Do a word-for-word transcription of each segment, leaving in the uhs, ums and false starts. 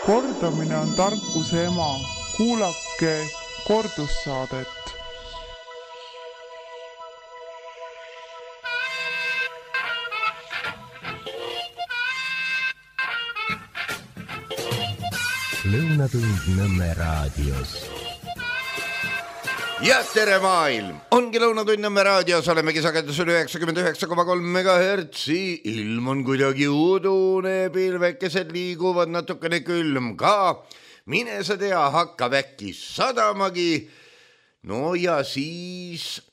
Kordamine on tarkuse ema. Kuulake kordussaadet. Lõunatund Nõmme raadios. Ja tere maailm! Ongi Lõunatund Nõmme raadios, olemegi sagedusel üheksakümmend üheksa koma kolm megahertsi. Ilm on kuidagi udune, pilvekesed liiguvad natukene külm ka. Mine sa tea, hakkab äkki sadamagi. No ja siis...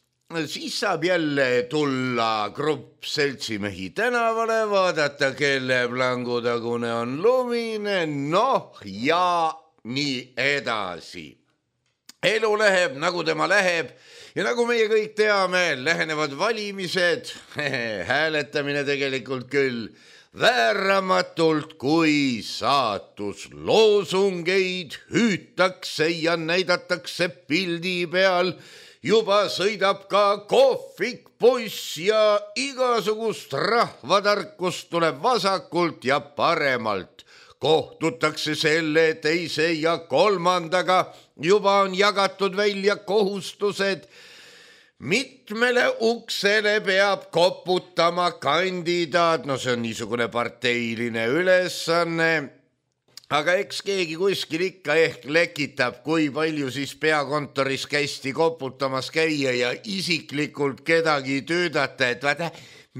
Siis saab jälle tulla grupp seltsimehi tänavale, vaadata, kelle plangutagune on lumine, noh ja nii edasi. Elu läheb, nagu tema läheb ja nagu meie kõik teame, lähenevad valimised, hääletamine tegelikult küll, vääramatult kui saatus. Loosungeid hüütakse ja näidatakse pildi peal. Juba sõidab ka kohvik poiss ja igasugust rahvatarkust tuleb vasakult ja paremalt. Kohtutakse selle, teise ja kolmandaga. Juba on jagatud välja kohustused. Mitmele uksele peab koputama kandidaat. No see on niisugune parteiline ülesanne. Aga eks keegi kuskil ikka ehk lekitab, kui palju siis peakontoris kästi koputamas käia ja isiklikult kedagi tüüdata, et vaata,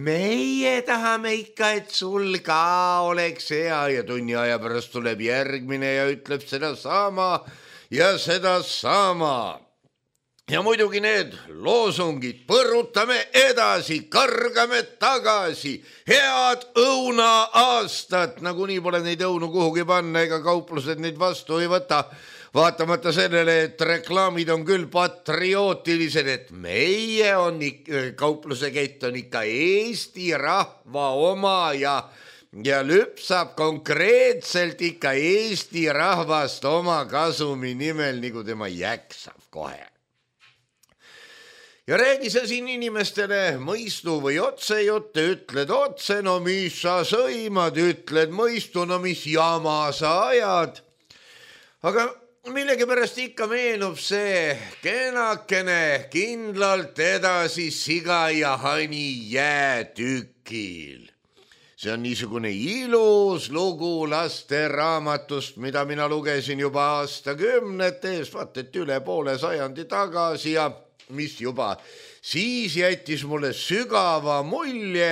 meie tahame ikka, et sul ka oleks hea ja tunni aja pärast tuleb järgmine ja ütleb seda sama ja seda sama. Ja muidugi need loosungid, põrutame edasi, kargame tagasi, head õuna aastat, nagu nii pole neid õunu kuhugi panna, ega kauplused neid vastu ei võta, vaatamata sellele, et reklaamid on küll patriootilised, et meie on ikka, kaupluse kett on ikka Eesti rahva oma ja, ja lüpsab konkreetselt ikka Eesti rahvast oma kasumi nimel, nagu tema jäksab kohe. Ja räägi sa siin inimestele mõistu või otsejutte, ütled otse, no mis sa sõimad, ütled mõistu, no mis jama sa ajad. Aga millegipärast ikka meenub see kenakene kindlalt edasi siga ja hani jäätükil. See on niisugune ilus lugu laste raamatust, mida mina lugesin juba aastakümnete ees, vaat et üle poole sajandi tagasi ja mis juba siis jättis mulle sügava mulje,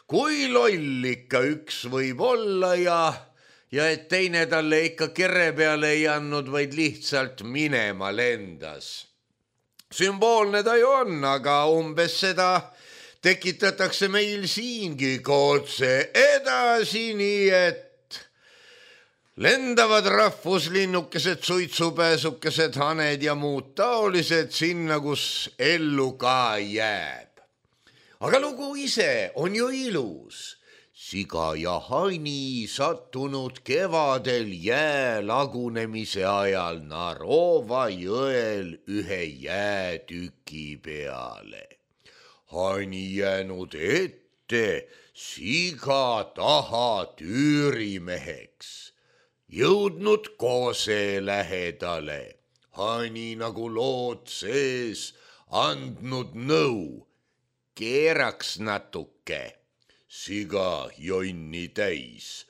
kui loll ikka üks võib olla ja, ja et teine talle ikka kere peale ei andnud, vaid lihtsalt minema lendas. Sümboolne ta ju on, aga umbes seda tekitatakse meil siingi kootse edasi, nii et lendavad rahvuslinnukesed, suitsupääsukesed, haned ja muud taolised sinna, kus ellu ka jääb. Aga lugu ise on ju ilus. Siga ja hani sattunud kevadel jää lagunemise ajal Narova jõel ühe jäätüki peale. Hani jäänud ette, siga taha tüürimeheks. Jõudnud koose lähedale, hani nagu lood sees, andnud nõu, keeraks natuke, siga jonni täis,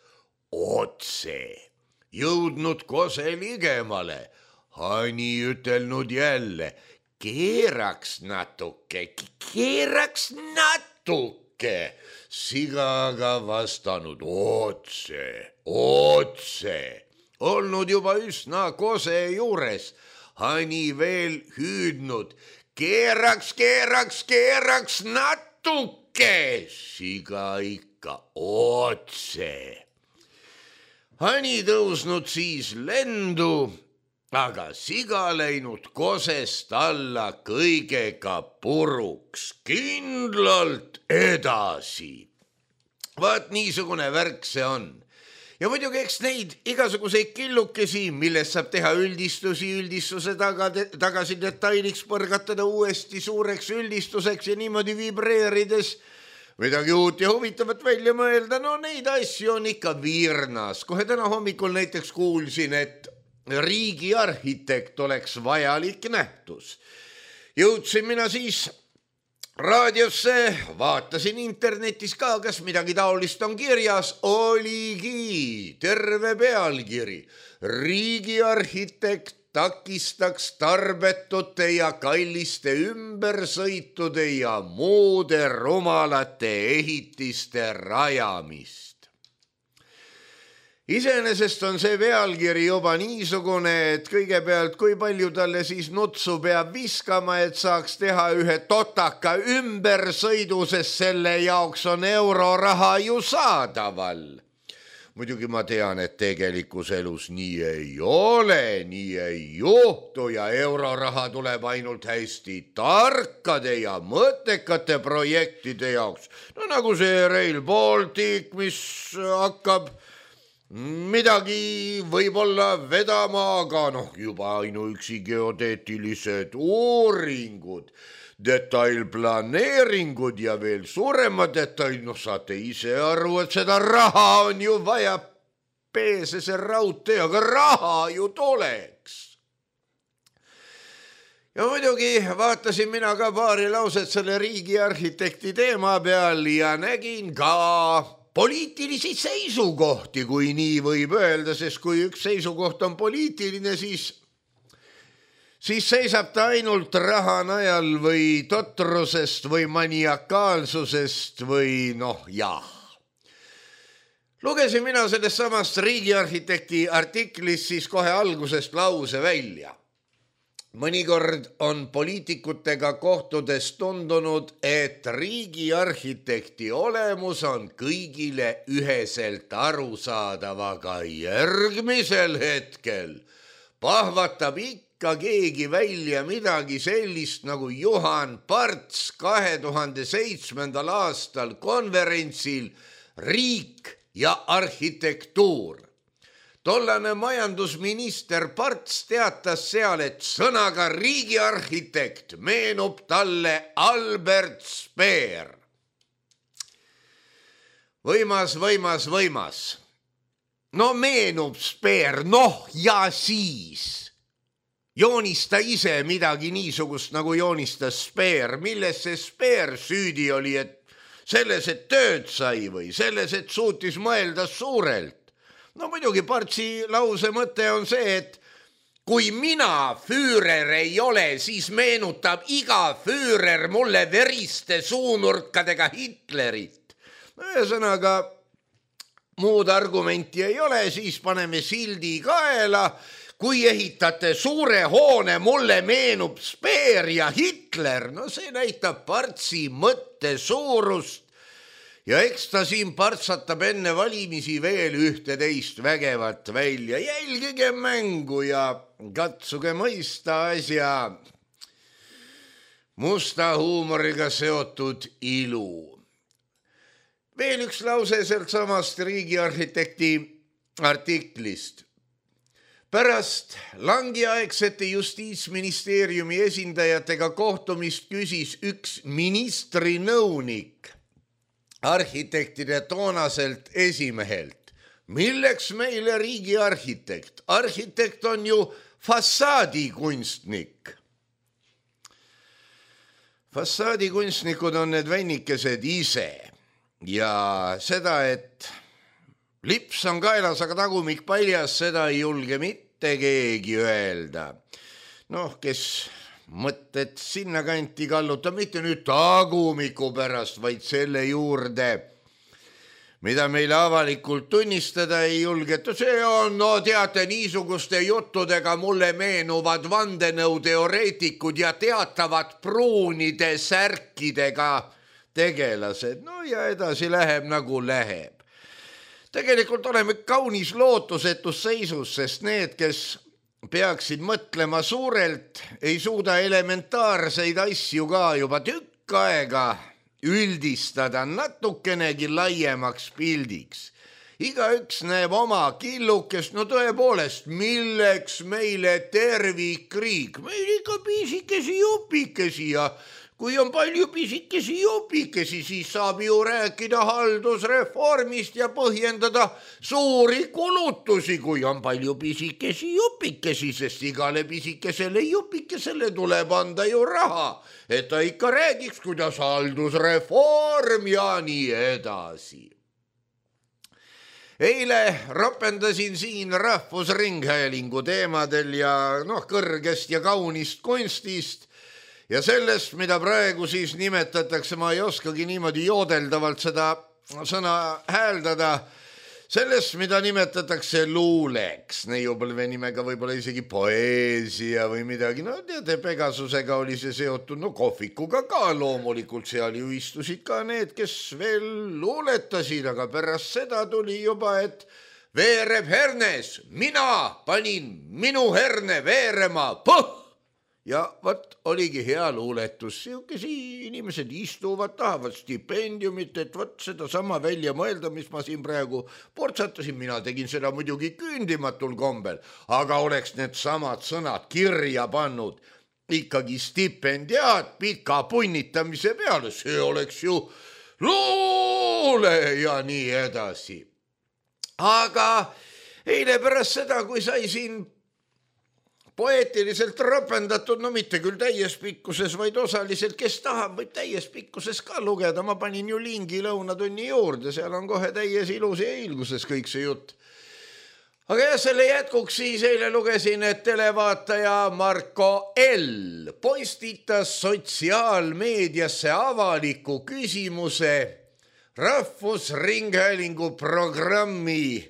otse, jõudnud koose ligemale, hani ütelnud jälle, keeraks natuke, keeraks natuke, siga aga vastanud otse, otse, olnud juba üsna kose juures, hani veel hüüdnud, keeraks, keeraks, keeraks natuke, siga ikka otse. Hani tõusnud siis lendu, aga siga läinud kosest alla kõigega puruks, kindlalt edasi. Vaat niisugune värk see on. Ja muidugi eks neid igasuguseid killukesi, millest saab teha üldistusi, üldistuse taga, tagasi detailiks põrgatada uuesti suureks üldistuseks ja niimoodi vibreerides midagi uut ja huvitavat välja mõelda, no neid asju on ikka virnas. Kohe täna hommikul näiteks kuulsin, et riigiarhitekt oleks vajalik nähtus. Jõudsin mina siis raadiosse, vaatasin internetis ka, kas midagi taolist on kirjas, oligi terve pealkiri. Riigiarhitekt takistaks tarbetute ja kalliste ümbersõitude ja muude rumalate ehitiste rajamist. Iseenesest on see pealkiri juba niisugune, et kõigepealt kui palju talle siis nutsu peab viskama, et saaks teha ühe totaka ümbersõidu, sest selle jaoks on euroraha ju saadaval. Muidugi ma tean, et tegelikus elus nii ei ole, nii ei juhtu ja euroraha tuleb ainult hästi tarkade ja mõttekate projektide jaoks. No nagu see Rail Baltic, mis hakkab midagi võib-olla vedama, aga noh, juba ainuüksi geodeetilised uuringud, detailplaneeringud ja veel suurema detail, noh saate ise aru, et seda raha on ju vaja peesese raudtee, aga raha ju tuleks. Ja muidugi vaatasin mina ka paari lauset selle riigiarhitekti teema peal ja nägin ka poliitilisi seisukohti, kui nii võib öelda, sest kui üks seisukoht on poliitiline, siis siis seisab ta ainult raha najal või totrusest või maniakaalsusest või noh, jah. Lugesin mina sellest samast riigiarhitekti artiklist siis kohe algusest lause välja. Mõnikord on poliitikutega kohtudes tundunud, et riigiarhitekti olemus on kõigile üheselt arusaadav, aga järgmisel hetkel pahvatab ikka ka keegi välja midagi sellist nagu Juhan Parts kahe tuhande seitsmendal aastal konverentsil Riik ja arhitektuur. Tollane majandusminister Parts teatas seal, et sõnaga riigiarhitekt meenub talle Albert Speer. Võimas, võimas, võimas. No meenub Speer, noh ja siis joonista ise midagi niisugust, nagu joonistas Speer. Milles see Speer süüdi oli, et selles, et tööd sai või selles, et suutis mõelda suurelt? No muidugi Partsi lause mõte on see, et kui mina Führer ei ole, siis meenutab iga Führer mulle veriste suunurkadega Hitlerit. Ühesõnaga, muud argumenti ei ole, siis paneme sildi kaela. Kui ehitate suure hoone, mulle meenub Speer ja Hitler, no see näitab Partsi mõtte suurust ja eks ta siin partsatab enne valimisi veel ühte teist vägevat välja. Jälgige mängu ja katsuge mõista asja musta huumoriga seotud ilu. Veel üks lause sealt samast riigiarhitekti artiklist. Pärast langiaegsete justiitsministeeriumi esindajatega kohtumist küsis üks ministri nõunik arhitektide toonaselt esimehelt. Milleks meile riigiarhitekt? Arhitekt on ju fassaadikunstnik. Fassaadikunstnikud on need vennikesed ise ja seda, et lips on kaelas, aga tagumik paljas, seda ei julge mitte keegi öelda. Noh, kes mõtted sinna kanti kalluta, mitte nüüd tagumiku pärast, vaid selle juurde, mida meile avalikult tunnistada ei julgeta. See on, no teate, niisuguste juttudega mulle meenuvad vandenõuteoreetikud ja teatavad pruunide särkidega tegelased. No ja edasi läheb nagu läheb. Tegelikult oleme kaunis lootusetus seisus, sest need, kes peaksid mõtlema suurelt, ei suuda elementaarseid asju ka juba tükk aega üldistada natukenegi laiemaks pildiks. Igaüks näeb oma killukest, no tõepoolest, milleks meile tervikriik, meil ikka piisikesi jupikesi ja kui on palju pisikesi jopikesi, siis saab ju rääkida haldusreformist ja põhjendada suuri kulutusi, kui on palju pisikesi jopikesi, sest igale pisikesele jopikesele tuleb anda ju raha, et ta ikka räägiks, kuidas haldusreform ja nii edasi. Eile rapendasin siin Rahvusringhäälingu teemadel ja noh, kõrgest ja kaunist kunstist ja sellest, mida praegu siis nimetatakse, ma ei oskagi niimoodi joodeldavalt seda sõna hääldada, sellest, mida nimetatakse luuleks, neiupõlve nimega võib-olla isegi poeesia või midagi, no teate, Pegasusega oli see seotud, no kohvikuga ka loomulikult, seal ju istusid ka need, kes veel luuletasid, aga pärast seda tuli juba, et veereb hernes, mina panin minu herne veerema, puh! Ja võt oligi hea luuletus, siukesi inimesed istuvad, tahavad stipendiumit, et võt seda sama välja mõelda, mis ma siin praegu portsatasin, mina tegin seda muidugi küündimatul kombel, aga oleks need samad sõnad kirja pannud ikkagi stipendiaat pika punnitamise peale, see oleks ju luule ja nii edasi. Aga eile pärast seda, kui sai siin poeetiliselt rapendatud, no mitte küll täies pikkuses, vaid osaliselt, kes tahab, võib täies pikkuses ka lugeda. Ma panin ju lingi lõunatunni juurde, seal on kohe täies ilus ja ilguses kõik see jutt. Aga jah, selle jätkuks siis eile lugesin, et televaataja Marko L. postitas sotsiaalmeediasse avaliku küsimuse Rahvusringhäälingu programmi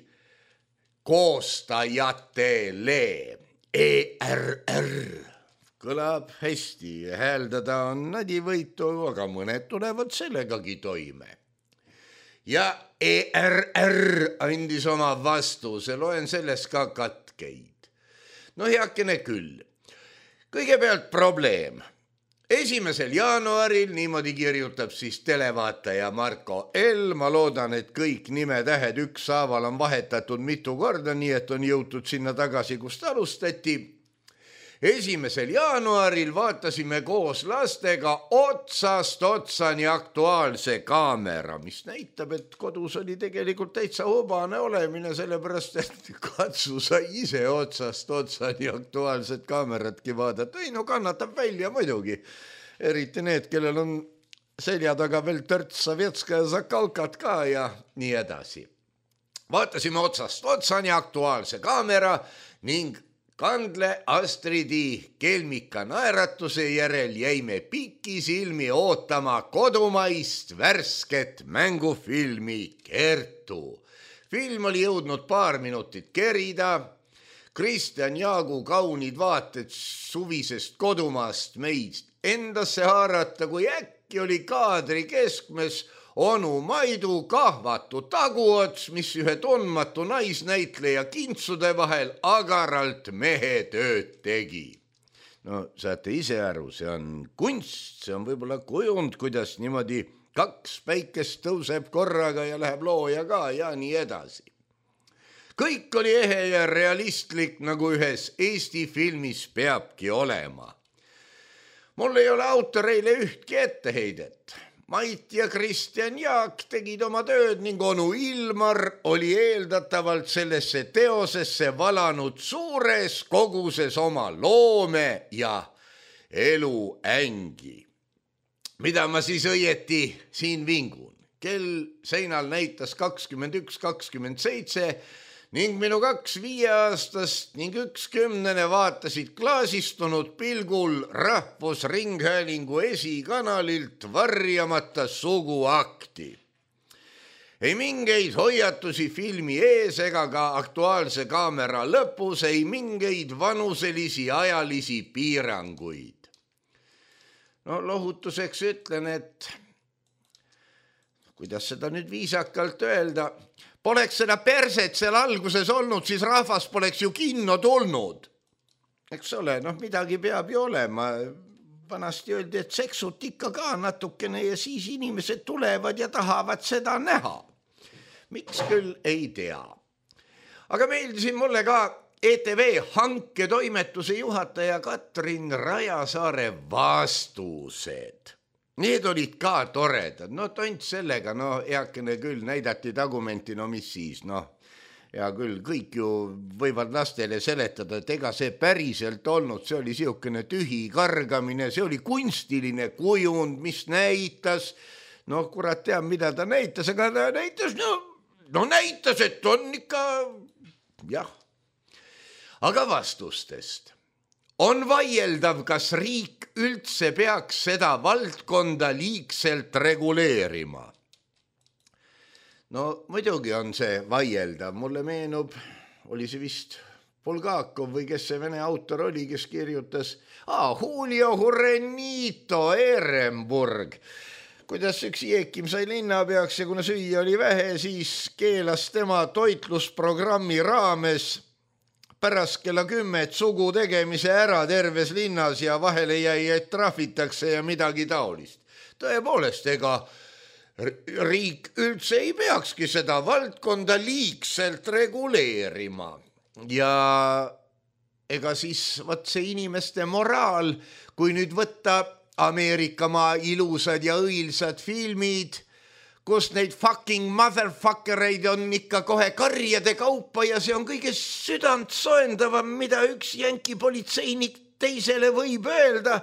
koostajatele. E R R kõlab hästi, hääldada on nadivõitu, aga mõned tulevad sellegagi toime. Ja E R R andis oma vastuse, loen sellest ka katkeid. No heakene küll. Kõigepealt probleem. Esimesel jaanuaril, niimoodi kirjutab siis televaataja Marko L. Ma loodan, et kõik nimetähed ükshaaval on vahetatud mitu korda, nii et on jõutud sinna tagasi, kust alustati. Esimesel jaanuaril vaatasime koos lastega otsast otsani Aktuaalse kaamera, mis näitab, et kodus oli tegelikult täitsa hobane olemine, sellepärast, et katsu sa ise otsast otsani Aktuaalset kaameratki vaadata. Ei, no kannatab välja muidugi. Eriti need, kellel on selja taga veel törts Sovetska ja Zakalkat ka ja nii edasi. Vaatasime otsast otsani Aktuaalse kaamera ning Kandle Astridi kelmika naeratuse järel jäime pikisilmi ootama kodumaist värsket mängufilmi Kertu. Film oli jõudnud paar minutit kerida. Kristjan Jaagu kaunid vaated suvisest kodumaast meid endasse haarata, kui äkki oli kaadri keskmes onu Maidu kahvatu taguots, mis ühe tundmatu naisnäitleja kintsude vahel agaralt mehe tööd tegi. No saate ise aru, see on kunst, see on võib-olla kujund, kuidas niimoodi kaks päikest tõuseb korraga ja läheb looja ka ja nii edasi. Kõik oli ehe ja realistlik, nagu ühes Eesti filmis peabki olema. Mul ei ole autoreile ühtki etteheidet. Mait ja Kristjan Jaak tegid oma tööd ning onu Ilmar oli eeldatavalt sellesse teosesse valanud suures koguses oma loome ja eluängi. Mida ma siis õieti siin vingun? Kell seinal näitas kakskümmend üks kakskümmend seitse ning minu kaks viieaastast ning üks kümnene vaatasid klaasistunud pilgul Rahvusringhäälingu esikanalilt varjamata suguakti. Ei mingeid hoiatusi filmi ees ega ka Aktuaalse kaamera lõpus, ei mingeid vanuselisi ajalisi piiranguid. No lohutuseks ütlen, et kuidas seda nüüd viisakalt öelda, poleks seda perset seal alguses olnud, siis rahvas poleks ju kinno tulnud. Eks ole, noh midagi peab ju olema. Vanasti öeldi, et seksut ikka ka natukene ja siis inimesed tulevad ja tahavad seda näha. Miks küll ei tea. Aga meeldisin mulle ka E T V hanketoimetuse juhataja Katrin Rajasaare vastused. Need olid ka toredad, no tont sellega, no eakene küll näidati tagumenti, no mis siis, noh. Ja küll kõik ju võivad lastele seletada, et ega see päriselt olnud, see oli siukene tühi kargamine, see oli kunstiline kujund, mis näitas, no kurat teab, mida ta näitas, aga ta näitas, no, no näitas, et on ikka, jah. Aga vastustest. On vaieldav, kas riik üldse peaks seda valdkonda liigselt reguleerima. No muidugi on see vaieldav, mulle meenub, oli see vist Bulgakov või kes see vene autor oli, kes kirjutas ah, Julio Jurenito Ehrenburg, kuidas üks Jeekim sai linnapeaks ja kuna süüa oli vähe, siis keelas tema toitlusprogrammi raames pärast kella kümmet sugu tegemise ära terves linnas ja vahele jäi, et trahvitakse ja midagi taolist. Tõepoolest, ega riik üldse ei peakski seda valdkonda liigselt reguleerima ja ega siis võt see inimeste moraal, kui nüüd võtta Ameerikamaa ilusad ja õilsad filmid, kus neid fucking motherfuckereid on ikka kohe karjade kaupa ja see on kõige südant soendavam, mida üks jänki politseinik teisele võib öelda.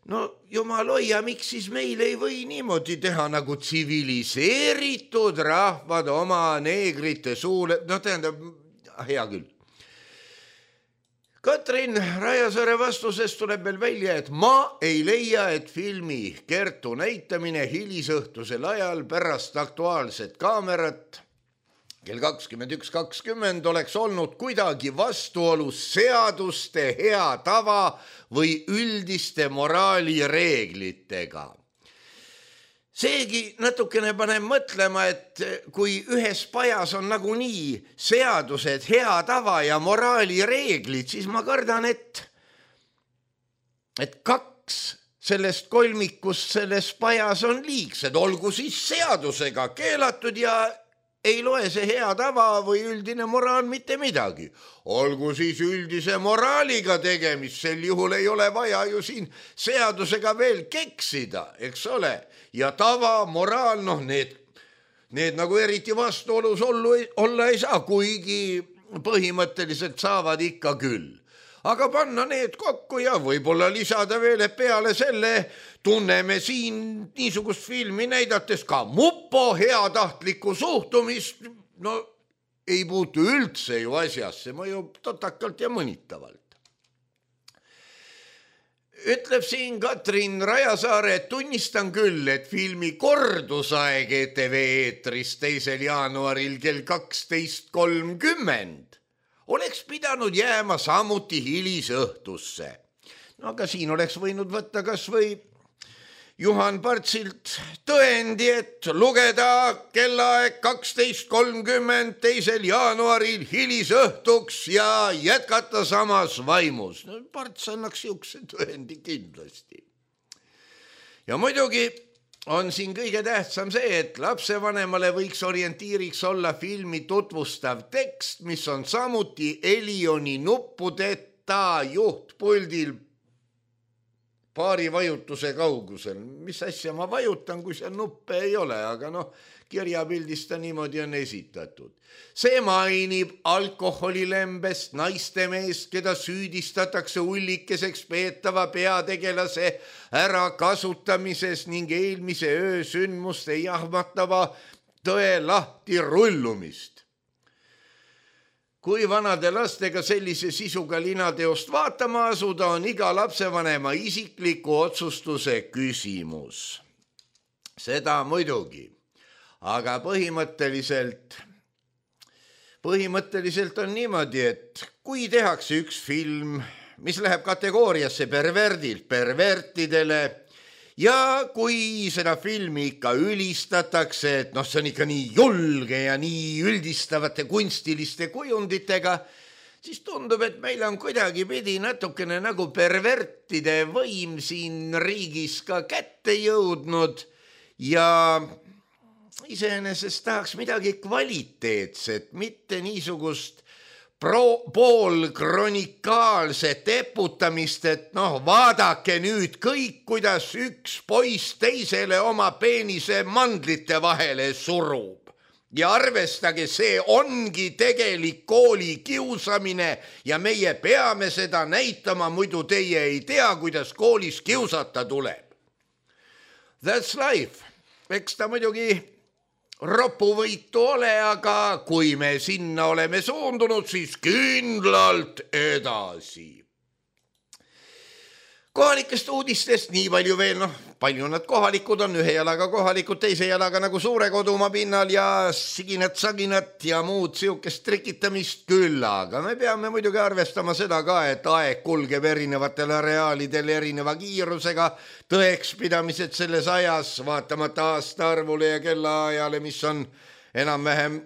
No jumal hoia, miks siis meil ei või niimoodi teha nagu tsiviliseeritud rahvad oma neegrite suule, no tähendab, hea küll. Katrin Rajasaare vastusest tuleb veel välja, et ma ei leia, et filmi Kertu näitamine hilisõhtusel ajal pärast aktuaalset kaamerat kell kakskümmend üks kakskümmend oleks olnud kuidagi vastuolus seaduste hea tava või üldiste moraalireeglitega. Seegi natukene paneb mõtlema, et kui ühes pajas on nagunii seadused, hea tava ja moraalireeglid, siis ma kardan, et, et kaks sellest kolmikust selles pajas on liigsed, olgu siis seadusega keelatud ja ei loe see hea tava või üldine moraal mitte midagi. Olgu siis üldise moraaliga tegemist, sel juhul ei ole vaja ju siin seadusega veel keksida, eks ole. Ja tava, moraal, noh need, need nagu eriti vastuolus olla ei saa, kuigi põhimõtteliselt saavad ikka küll. Aga panna need kokku ja võib-olla lisada veel, et peale selle tunneme siin niisugust filmi näidates ka mupo heatahtlikku suhtumist, no ei puutu üldse ju asjasse, mõjub totakalt ja mõnitavalt. Ütleb siin Katrin Rajasaare, et tunnistan küll, et filmi kordusaeg E T V eetris teisel jaanuaril kell kaksteist kolmkümmend oleks pidanud jääma samuti hilisõhtusse. No aga siin oleks võinud võtta kas või Juhan Partsilt tõendi, et lugeda kellaaeg kaksteist kolmkümmend teisel jaanuaril hilisõhtuks ja jätkata samas vaimus. No, Parts annaks siukse tõendi kindlasti. Ja muidugi on siin kõige tähtsam see, et lapsevanemale võiks orientiiriks olla filmi tutvustav tekst, mis on samuti Elioni nuppudeta juhtpuldil paari vajutuse kaugusel. Mis asja ma vajutan, kui seal nuppe ei ole, aga noh, kirjapildista niimoodi on esitatud. See mainib alkoholilembest naistemeest, keda süüdistatakse ullikeseks peetava peategelase ärakasutamises ning eelmise öö sündmuste jahmatava tõe lahti rullumist. Kui vanade lastega sellise sisuga linateost vaatama asuda, on iga lapsevanema isikliku otsustuse küsimus. Seda muidugi. Aga põhimõtteliselt, põhimõtteliselt on niimoodi, et kui tehakse üks film, mis läheb kategooriasse perverdilt pervertidele ja kui seda filmi ikka ülistatakse, et noh, see on ikka nii julge ja nii üldistavate kunstiliste kujunditega, siis tundub, et meil on kuidagi pidi natukene nagu pervertide võim siin riigis ka kätte jõudnud ja iseenesest tahaks midagi kvaliteetset, mitte niisugust pro, pool kronikaalset eputamist, et noh, vaadake nüüd kõik, kuidas üks poiss teisele oma peenise mandlite vahele surub. Ja arvestage, see ongi tegelik kooli kiusamine ja meie peame seda näitama, muidu teie ei tea, kuidas koolis kiusata tuleb. That's life. Eks ta muidugi ropuvõitu ole, aga kui me sinna oleme suundunud, siis kindlalt edasi. Kohalikest uudistest nii palju veel, noh, palju nad kohalikud on, ühe jalaga kohalikud, teise jalaga nagu suure kodumaa pinnal ja siginat, saginat ja muud siukest trikitamist küll, aga me peame muidugi arvestama seda ka, et aeg kulgeb erinevatel areaalidel erineva kiirusega, tõekspidamised selles ajas, vaatamata aastaarvule ja kellaajale, mis on enam-vähem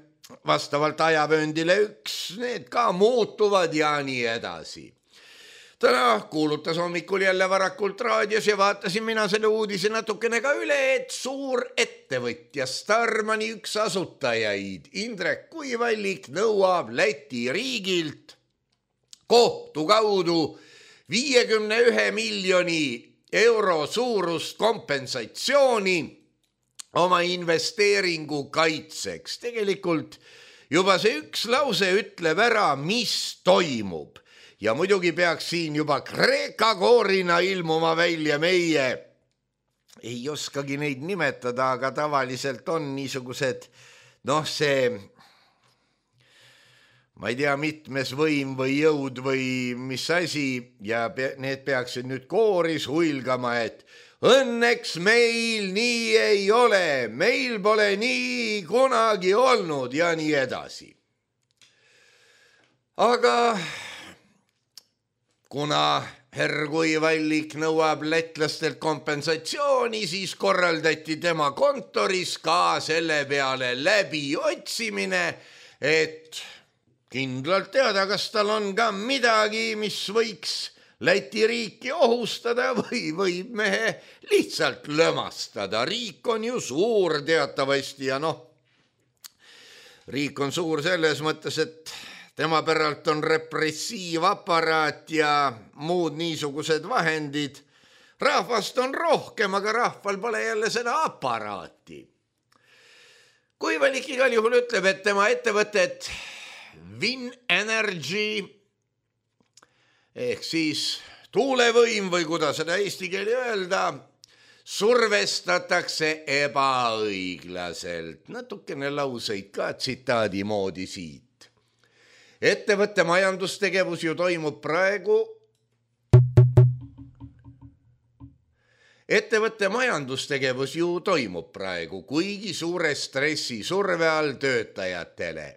vastavalt ajavööndile üks, need ka muutuvad ja nii edasi. Täna kuulutas hommikul jälle varakult raadios ja vaatasin mina selle uudise natukene ka üle, et suur ettevõtja Starmani üks asutajaid Indrek Kuivallik nõuab Läti riigilt kohtu kaudu viiekümne ühe miljoni euro suurust kompensatsiooni oma investeeringu kaitseks. Tegelikult juba see üks lause ütleb ära, mis toimub. Ja muidugi peaks siin juba Kreeka koorina ilmuma välja meie. Ei oskagi neid nimetada, aga tavaliselt on niisugused, noh see, ma ei tea, mitmes võim või jõud või mis asi ja need peaksid nüüd kooris huilgama, et õnneks meil nii ei ole, meil pole nii kunagi olnud ja nii edasi. Aga kuna herr Kuivallik nõuab lätlastelt kompensatsiooni, siis korraldati tema kontoris ka selle peale läbi otsimine, et kindlalt teada, kas tal on ka midagi, mis võiks Läti riiki ohustada või võib mehe lihtsalt lõmastada. Riik on ju suur teatavasti ja noh, riik on suur selles mõttes, et tema päralt on repressiivaparaat ja muud niisugused vahendid. Rahvast on rohkem, aga rahval pole jälle seda aparaati. Kuivallik igal juhul ütleb, et tema ettevõtet Win Energy ehk siis tuulevõim või kuidas seda eesti keeli öelda, survestatakse ebaõiglaselt. Natukene lauseid ka tsitaadi moodi siit. Ettevõtte majandustegevus ju toimub praegu Ettevõtte majandustegevus ju toimub praegu, kuigi suure stressi surve all töötajatele.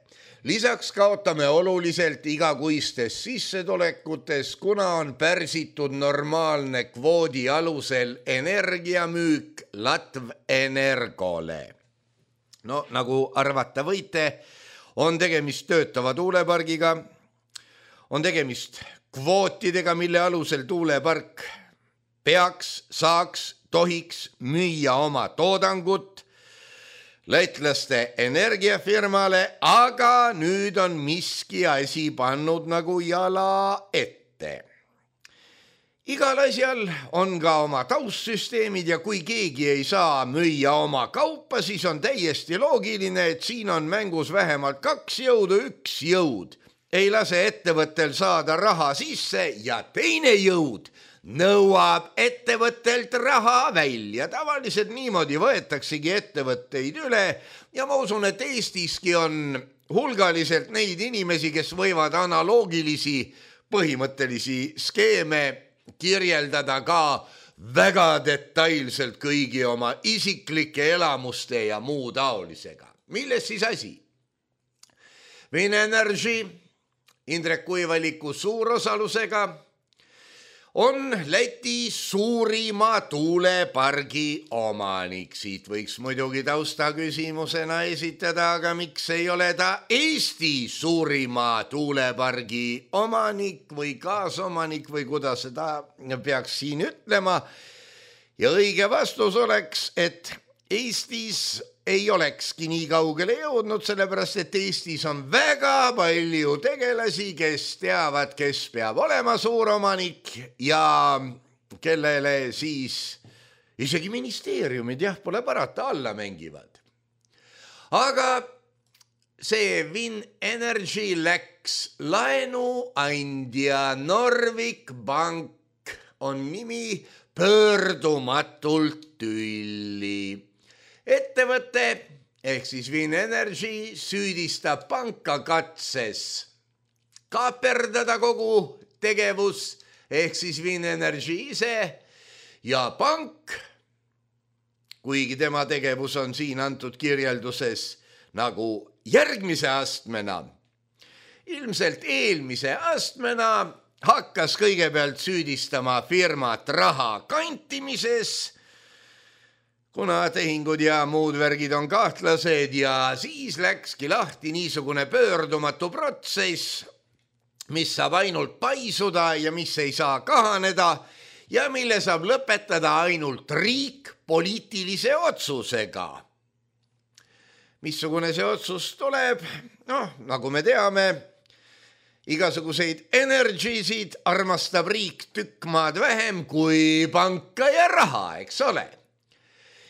Lisaks kaotame oluliselt igakuistes sissetulekutes, kuna on pärsitud normaalne kvoodi alusel energiamüük Latv Energole. No nagu arvata võite, on tegemist töötava tuulepargiga, on tegemist kvootidega, mille alusel tuulepark peaks, saaks, tohiks müüa oma toodangut lätlaste energiafirmale, aga nüüd on miski asi pannud nagu jala ette. Igal asjal on ka oma taustsüsteemid ja kui keegi ei saa müüa oma kaupa, siis on täiesti loogiline, et siin on mängus vähemalt kaks jõudu, üks jõud ei lase ettevõttel saada raha sisse ja teine jõud nõuab ettevõttelt raha välja. Tavaliselt niimoodi võetaksegi ettevõtteid üle ja ma usun, et Eestiski on hulgaliselt neid inimesi, kes võivad analoogilisi põhimõttelisi skeeme kirjeldada ka väga detailselt kõigi oma isiklike elamuste ja muu taolisega. Milles siis asi? Win Energy Indrek Kuivalliku suurosalusega on Läti suurima tuulepargi omanik. Siit võiks muidugi tausta küsimusena esitada, aga miks ei ole ta Eesti suurima tuulepargi omanik või kaasomanik või kuidas seda peaks siin ütlema. Ja õige vastus oleks, et Eestis ei olekski nii kaugele jõudnud, sellepärast et Eestis on väga palju tegelasi, kes teavad, kes peab olema suuromanik ja kellele siis isegi ministeeriumid, jah, pole parata, alla mängivad. Aga see Win Energy läks laenuandja Norvik Bank on nimi pöördumatult tülli. Ettevõte ehk siis Win Energy süüdistab panka katses kaaperdada kogu tegevus ehk siis Win Energy ise ja pank, kuigi tema tegevus on siin antud kirjelduses nagu järgmise astmena, ilmselt eelmise astmena hakkas kõigepealt süüdistama firmat raha kantimises, kuna tehingud ja muud värgid on kahtlased ja siis läkski lahti niisugune pöördumatu protsess, mis saab ainult paisuda ja mis ei saa kahaneda ja mille saab lõpetada ainult riik poliitilise otsusega. Missugune see otsus tuleb? Noh, nagu me teame, igasuguseid energisid armastab riik tükk maad vähem kui panka ja raha, eks ole.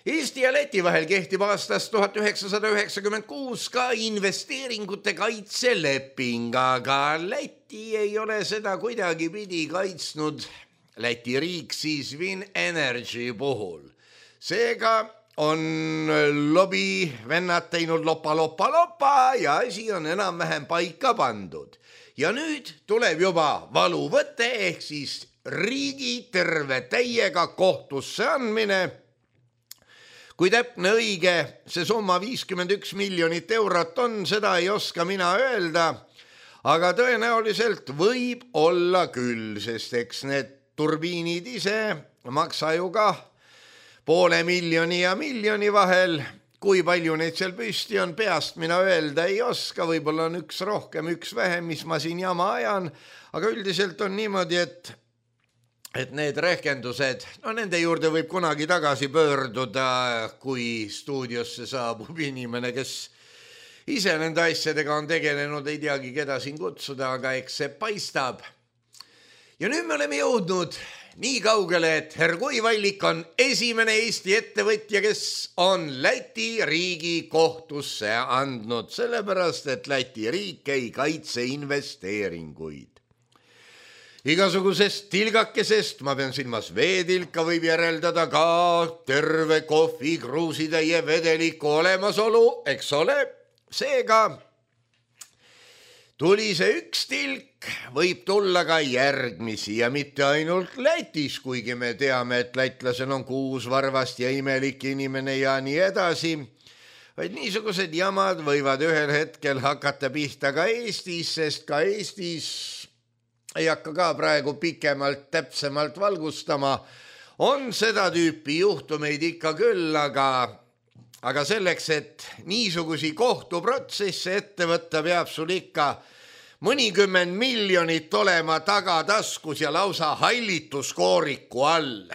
Eesti ja Läti vahel kehtib aastast tuhat üheksasada üheksakümmend kuus ka investeeringute kaitseleping, aga Läti ei ole seda kuidagi pidi kaitsnud, Läti riik siis Win Energy puhul. Seega on lobi vennad teinud lopa, lopa, lopa ja asi on enam-vähem paika pandud. Ja nüüd tuleb juba valuvõte ehk siis riigi terve täiega kohtusse andmine. Kui täpne õige see summa viiskümmend üks miljonit eurot on, seda ei oska mina öelda, aga tõenäoliselt võib olla küll, sest eks need turbiinid ise maksa ju ka poole miljoni ja miljoni vahel. Kui palju neid seal püsti on, peast mina öelda ei oska, võib-olla on üks rohkem, üks vähem, mis ma siin jama ajan, aga üldiselt on niimoodi, et et need rehkendused, no nende juurde võib kunagi tagasi pöörduda, kui stuudiosse saabub inimene, kes ise nende asjadega on tegelenud, ei teagi, keda siin kutsuda, aga eks see paistab. Ja nüüd me oleme jõudnud nii kaugele, et Hergoi Vallik on esimene Eesti ettevõtja, kes on Läti riigi kohtusse andnud, sellepärast, et Läti riik ei kaitse investeeringuid. Igasugusest tilgakesest, ma pean silmas veetilka, võib järeldada ka terve kohvi kruusitäie vedeliku olemasolu, eks ole. Seega tuli see üks tilk, võib tulla ka järgmisi ja mitte ainult Lätis, kuigi me teame, et lätlasel on kuus varvast ja imelik inimene ja nii edasi, vaid niisugused jamad võivad ühel hetkel hakata pihta ka Eestis, sest ka Eestis ei hakka ka praegu pikemalt täpsemalt valgustama, on seda tüüpi juhtumeid ikka küll, aga, aga selleks, et niisugusi kohtuprotsesse ette võtta, peab sul ikka mõnikümmend miljonit olema tagataskus ja lausa hallituskooriku all.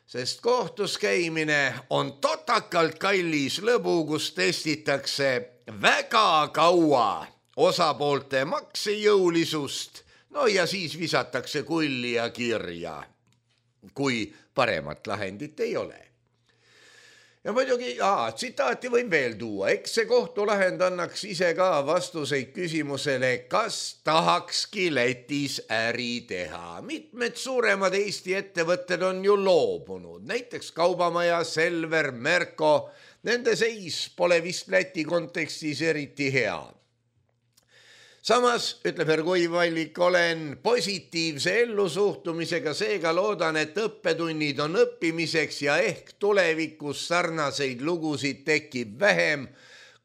Sest kohtus käimine on totakalt kallis lõbu, kus testitakse väga kaua osapoolte maksejõulisust, no ja siis visatakse kulli ja kirja, kui paremat lahendit ei ole. Ja muidugi, aa, tsitaati võib veel tuua, eks see kohtulahend annaks ise ka vastuseid küsimusele, kas tahakski Lätis äri teha. Mitmed suuremad Eesti ettevõtted on ju loobunud, näiteks Kaubamaja, Selver, Merko, nende seis pole vist Läti kontekstis eriti hea. Samas, ütleb Hergoi Vallik, olen positiivse ellusuhtumisega, seega loodan, et õppetunnid on õppimiseks ja ehk tulevikus sarnaseid lugusid tekib vähem,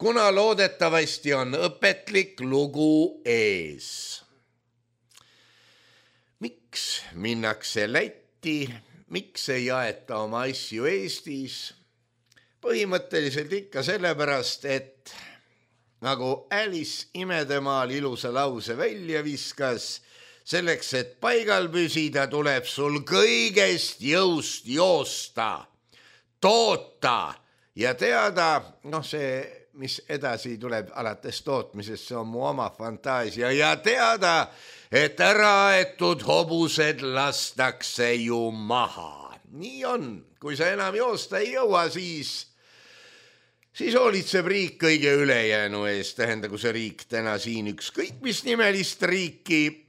kuna loodetavasti on õpetlik lugu ees. Miks minnakse Lätti, miks ei jaeta oma asju Eestis? Põhimõtteliselt ikka sellepärast, et nagu Alice imedemaal ilusa lause välja viskas, selleks, et paigal püsida, tuleb sul kõigest jõust joosta, toota ja teada, noh see, mis edasi tuleb alates tootmisest, see on mu oma fantaasia ja teada, et äraetud hobused lastakse ju maha. Nii on, kui sa enam joosta ei jõua, siis, siis hoolitseb riik kõige ülejäänu eest. Tähendagu see riik täna siin ükskõik mis nimelist riiki,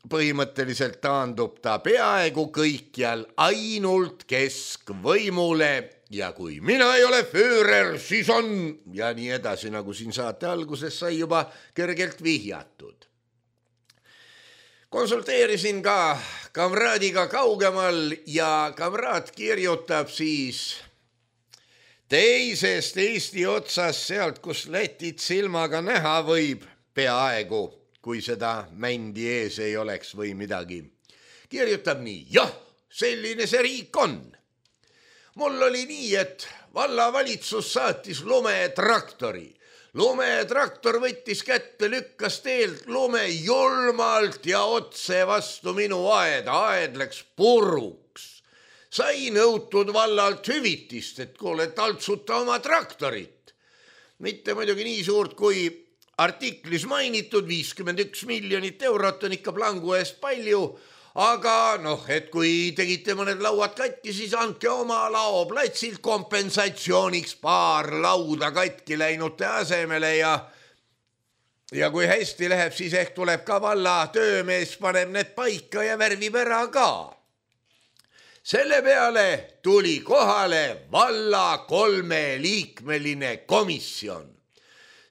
põhimõtteliselt taandub ta peaaegu kõikjal ainult keskvõimule ja kui mina ei ole Führer, siis on ja nii edasi, nagu siin saate alguses sai juba kergelt vihjatud. Konsulteerisin ka kamraadiga kaugemal ja kamraad kirjutab siis teisest Eesti otsas sealt, kus Lätit silmaga näha võib peaaegu, kui seda mändi ees ei oleks või midagi. Kirjutab nii, jah, selline see riik on. Mul oli nii, et vallavalitsus saatis lumetraktori. Lumetraktor võttis kätte, lükkas teelt lume julmalt ja otse vastu minu aeda. Aed läks puruks. Sai nõutud vallalt hüvitist, et kuule, taltsuta oma traktorit. Mitte muidugi nii suurt kui artiklis mainitud, viiskümmend üks miljonit eurot on ikka plangu eest palju, aga noh, et kui tegite mõned lauad katki, siis andke oma laoplatsilt kompensatsiooniks paar lauda katki läinute asemele ja, ja kui hästi läheb, siis ehk tuleb ka valla töömees, paneb need paika ja värvib ära ka. Selle peale tuli kohale valla kolmeliikmeline komisjon.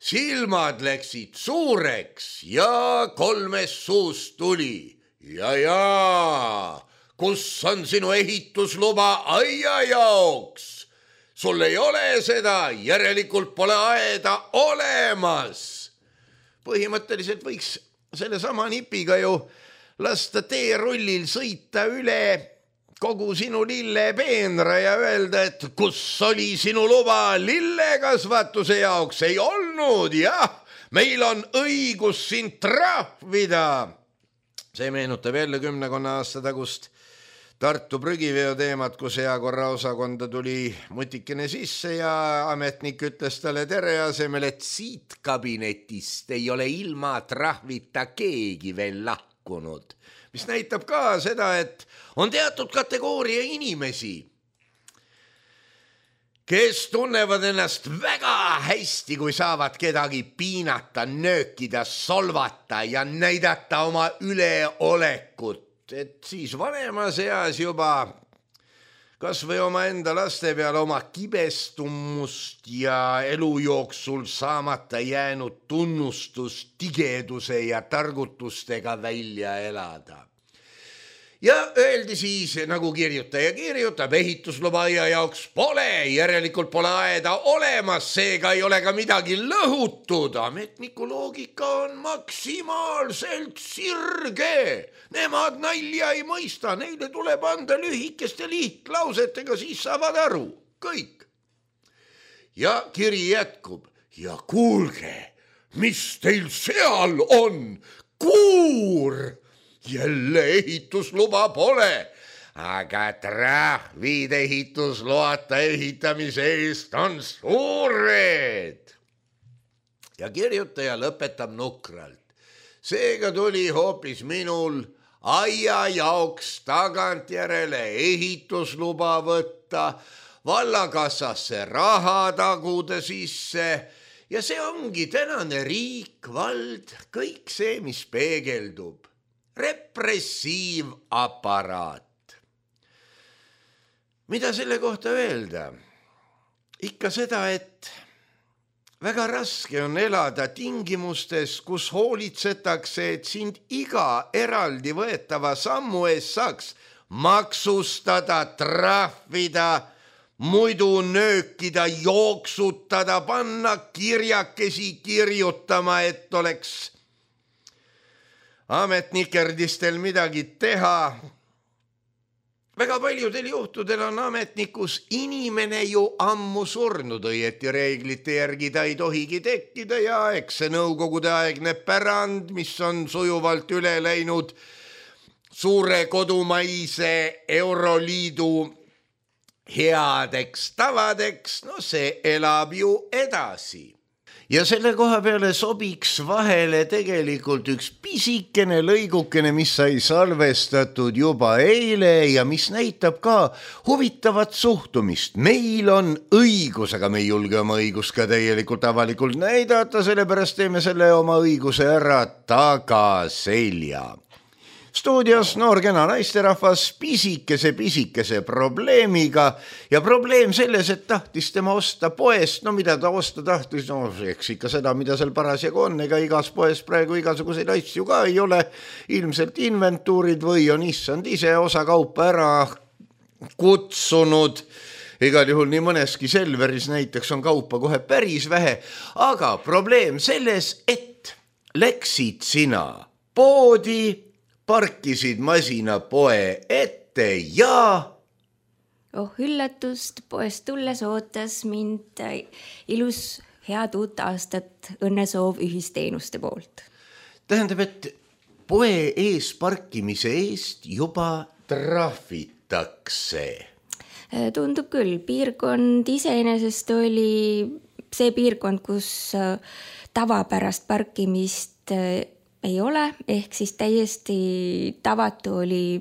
Silmad läksid suureks ja kolmes suust tuli. Ja, ja, kus on sinu ehitusluba aia jaoks? Sul ei ole seda, järelikult pole aeda olemas. Põhimõtteliselt võiks selle sama nipiga ju lasta teerullil sõita üle kogu sinu lillepeenra ja öelda, et kus oli sinu luba lillekasvatuse jaoks? Ei olnud, jah, meil on õigus sind trahvida. See meenutab jälle kümnekonna aasta tagust Tartu prügiveo teemat, kus heakorra osakonda tuli mutikene sisse ja ametnik ütles talle tere asemel, et siit kabinetist ei ole ilma trahvita keegi veel lahkunud. Mis näitab ka seda, et on teatud kategooria inimesi, kes tunnevad ennast väga hästi, kui saavad kedagi piinata, nöökida, solvata ja näidata oma üleolekut. Et siis vanemas eas juba kas või oma enda laste peale oma kibestumust ja elu jooksul saamata jäänud tunnustust tigeduse ja targutustega välja elada. Ja öeldi siis, nagu kirjutaja kirjutab, ehitusluba aia jaoks pole, järelikult pole aeda olemas, seega ei ole ka midagi lõhutud. Ametniku loogika on maksimaalselt sirge. Nemad nalja ei mõista, neile tuleb anda lühikeste lihtlausetega, siis saavad aru. Kõik. Ja kiri jätkub. Ja kuulge, mis teil seal on? Kuur! Jälle ehitusluba pole, aga trahvid ehitusloata ehitamise eest on suured. Ja kirjutaja lõpetab nukralt. Seega tuli hoopis minul aia jaoks tagantjärele ehitusluba võtta, vallakassasse raha taguda sisse ja see ongi tänane riik, vald, kõik see, mis peegeldub. Repressiivaparaat. Mida selle kohta öelda? Ikka seda, et väga raske on elada tingimustes, kus hoolitsetakse, et sind iga eraldi võetava sammu eest saaks maksustada, trahvida, muidu nöökida, jooksutada, panna kirjakesi kirjutama, et oleks ametnikerdistel midagi teha. Väga paljudel juhtudel on ametnikus inimene ju ammu surnud, õieti reeglite järgi ta ei tohigi tekkida ja eks see nõukogude aegne pärand, mis on sujuvalt üle läinud suure kodumaise Euroliidu headeks tavadeks, no see elab ju edasi. Ja selle koha peale sobiks vahele tegelikult üks pisikene lõigukene, mis sai salvestatud juba eile ja mis näitab ka huvitavat suhtumist. Meil on õigus, aga me ei julge oma õigust ka täielikult avalikult näidata, sellepärast teeme selle oma õiguse ära tagaselja. Stuudios noor kena naisterahvas pisikese pisikese probleemiga ja probleem selles, et tahtis tema osta poest, no mida ta osta tahtis, no eks ikka seda, mida seal parasjagu on, ega igas poes praegu igasuguseid asju ka ei ole, ilmselt inventuurid või on issand ise osa kaupa ära kutsunud, igal juhul nii mõneski Selveris näiteks on kaupa kohe päris vähe, aga probleem selles, et läksid sina poodi, parkisid masina poe ette ja... Oh üllatust, poest tulles ootas mind ilus head uut aastat õnnesoov ühisteenuste poolt. Tähendab, et poe ees parkimise eest juba trahvitakse. Tundub küll, piirkond iseenesest oli see piirkond, kus tavapärast parkimist ei ole, ehk siis täiesti tavatu oli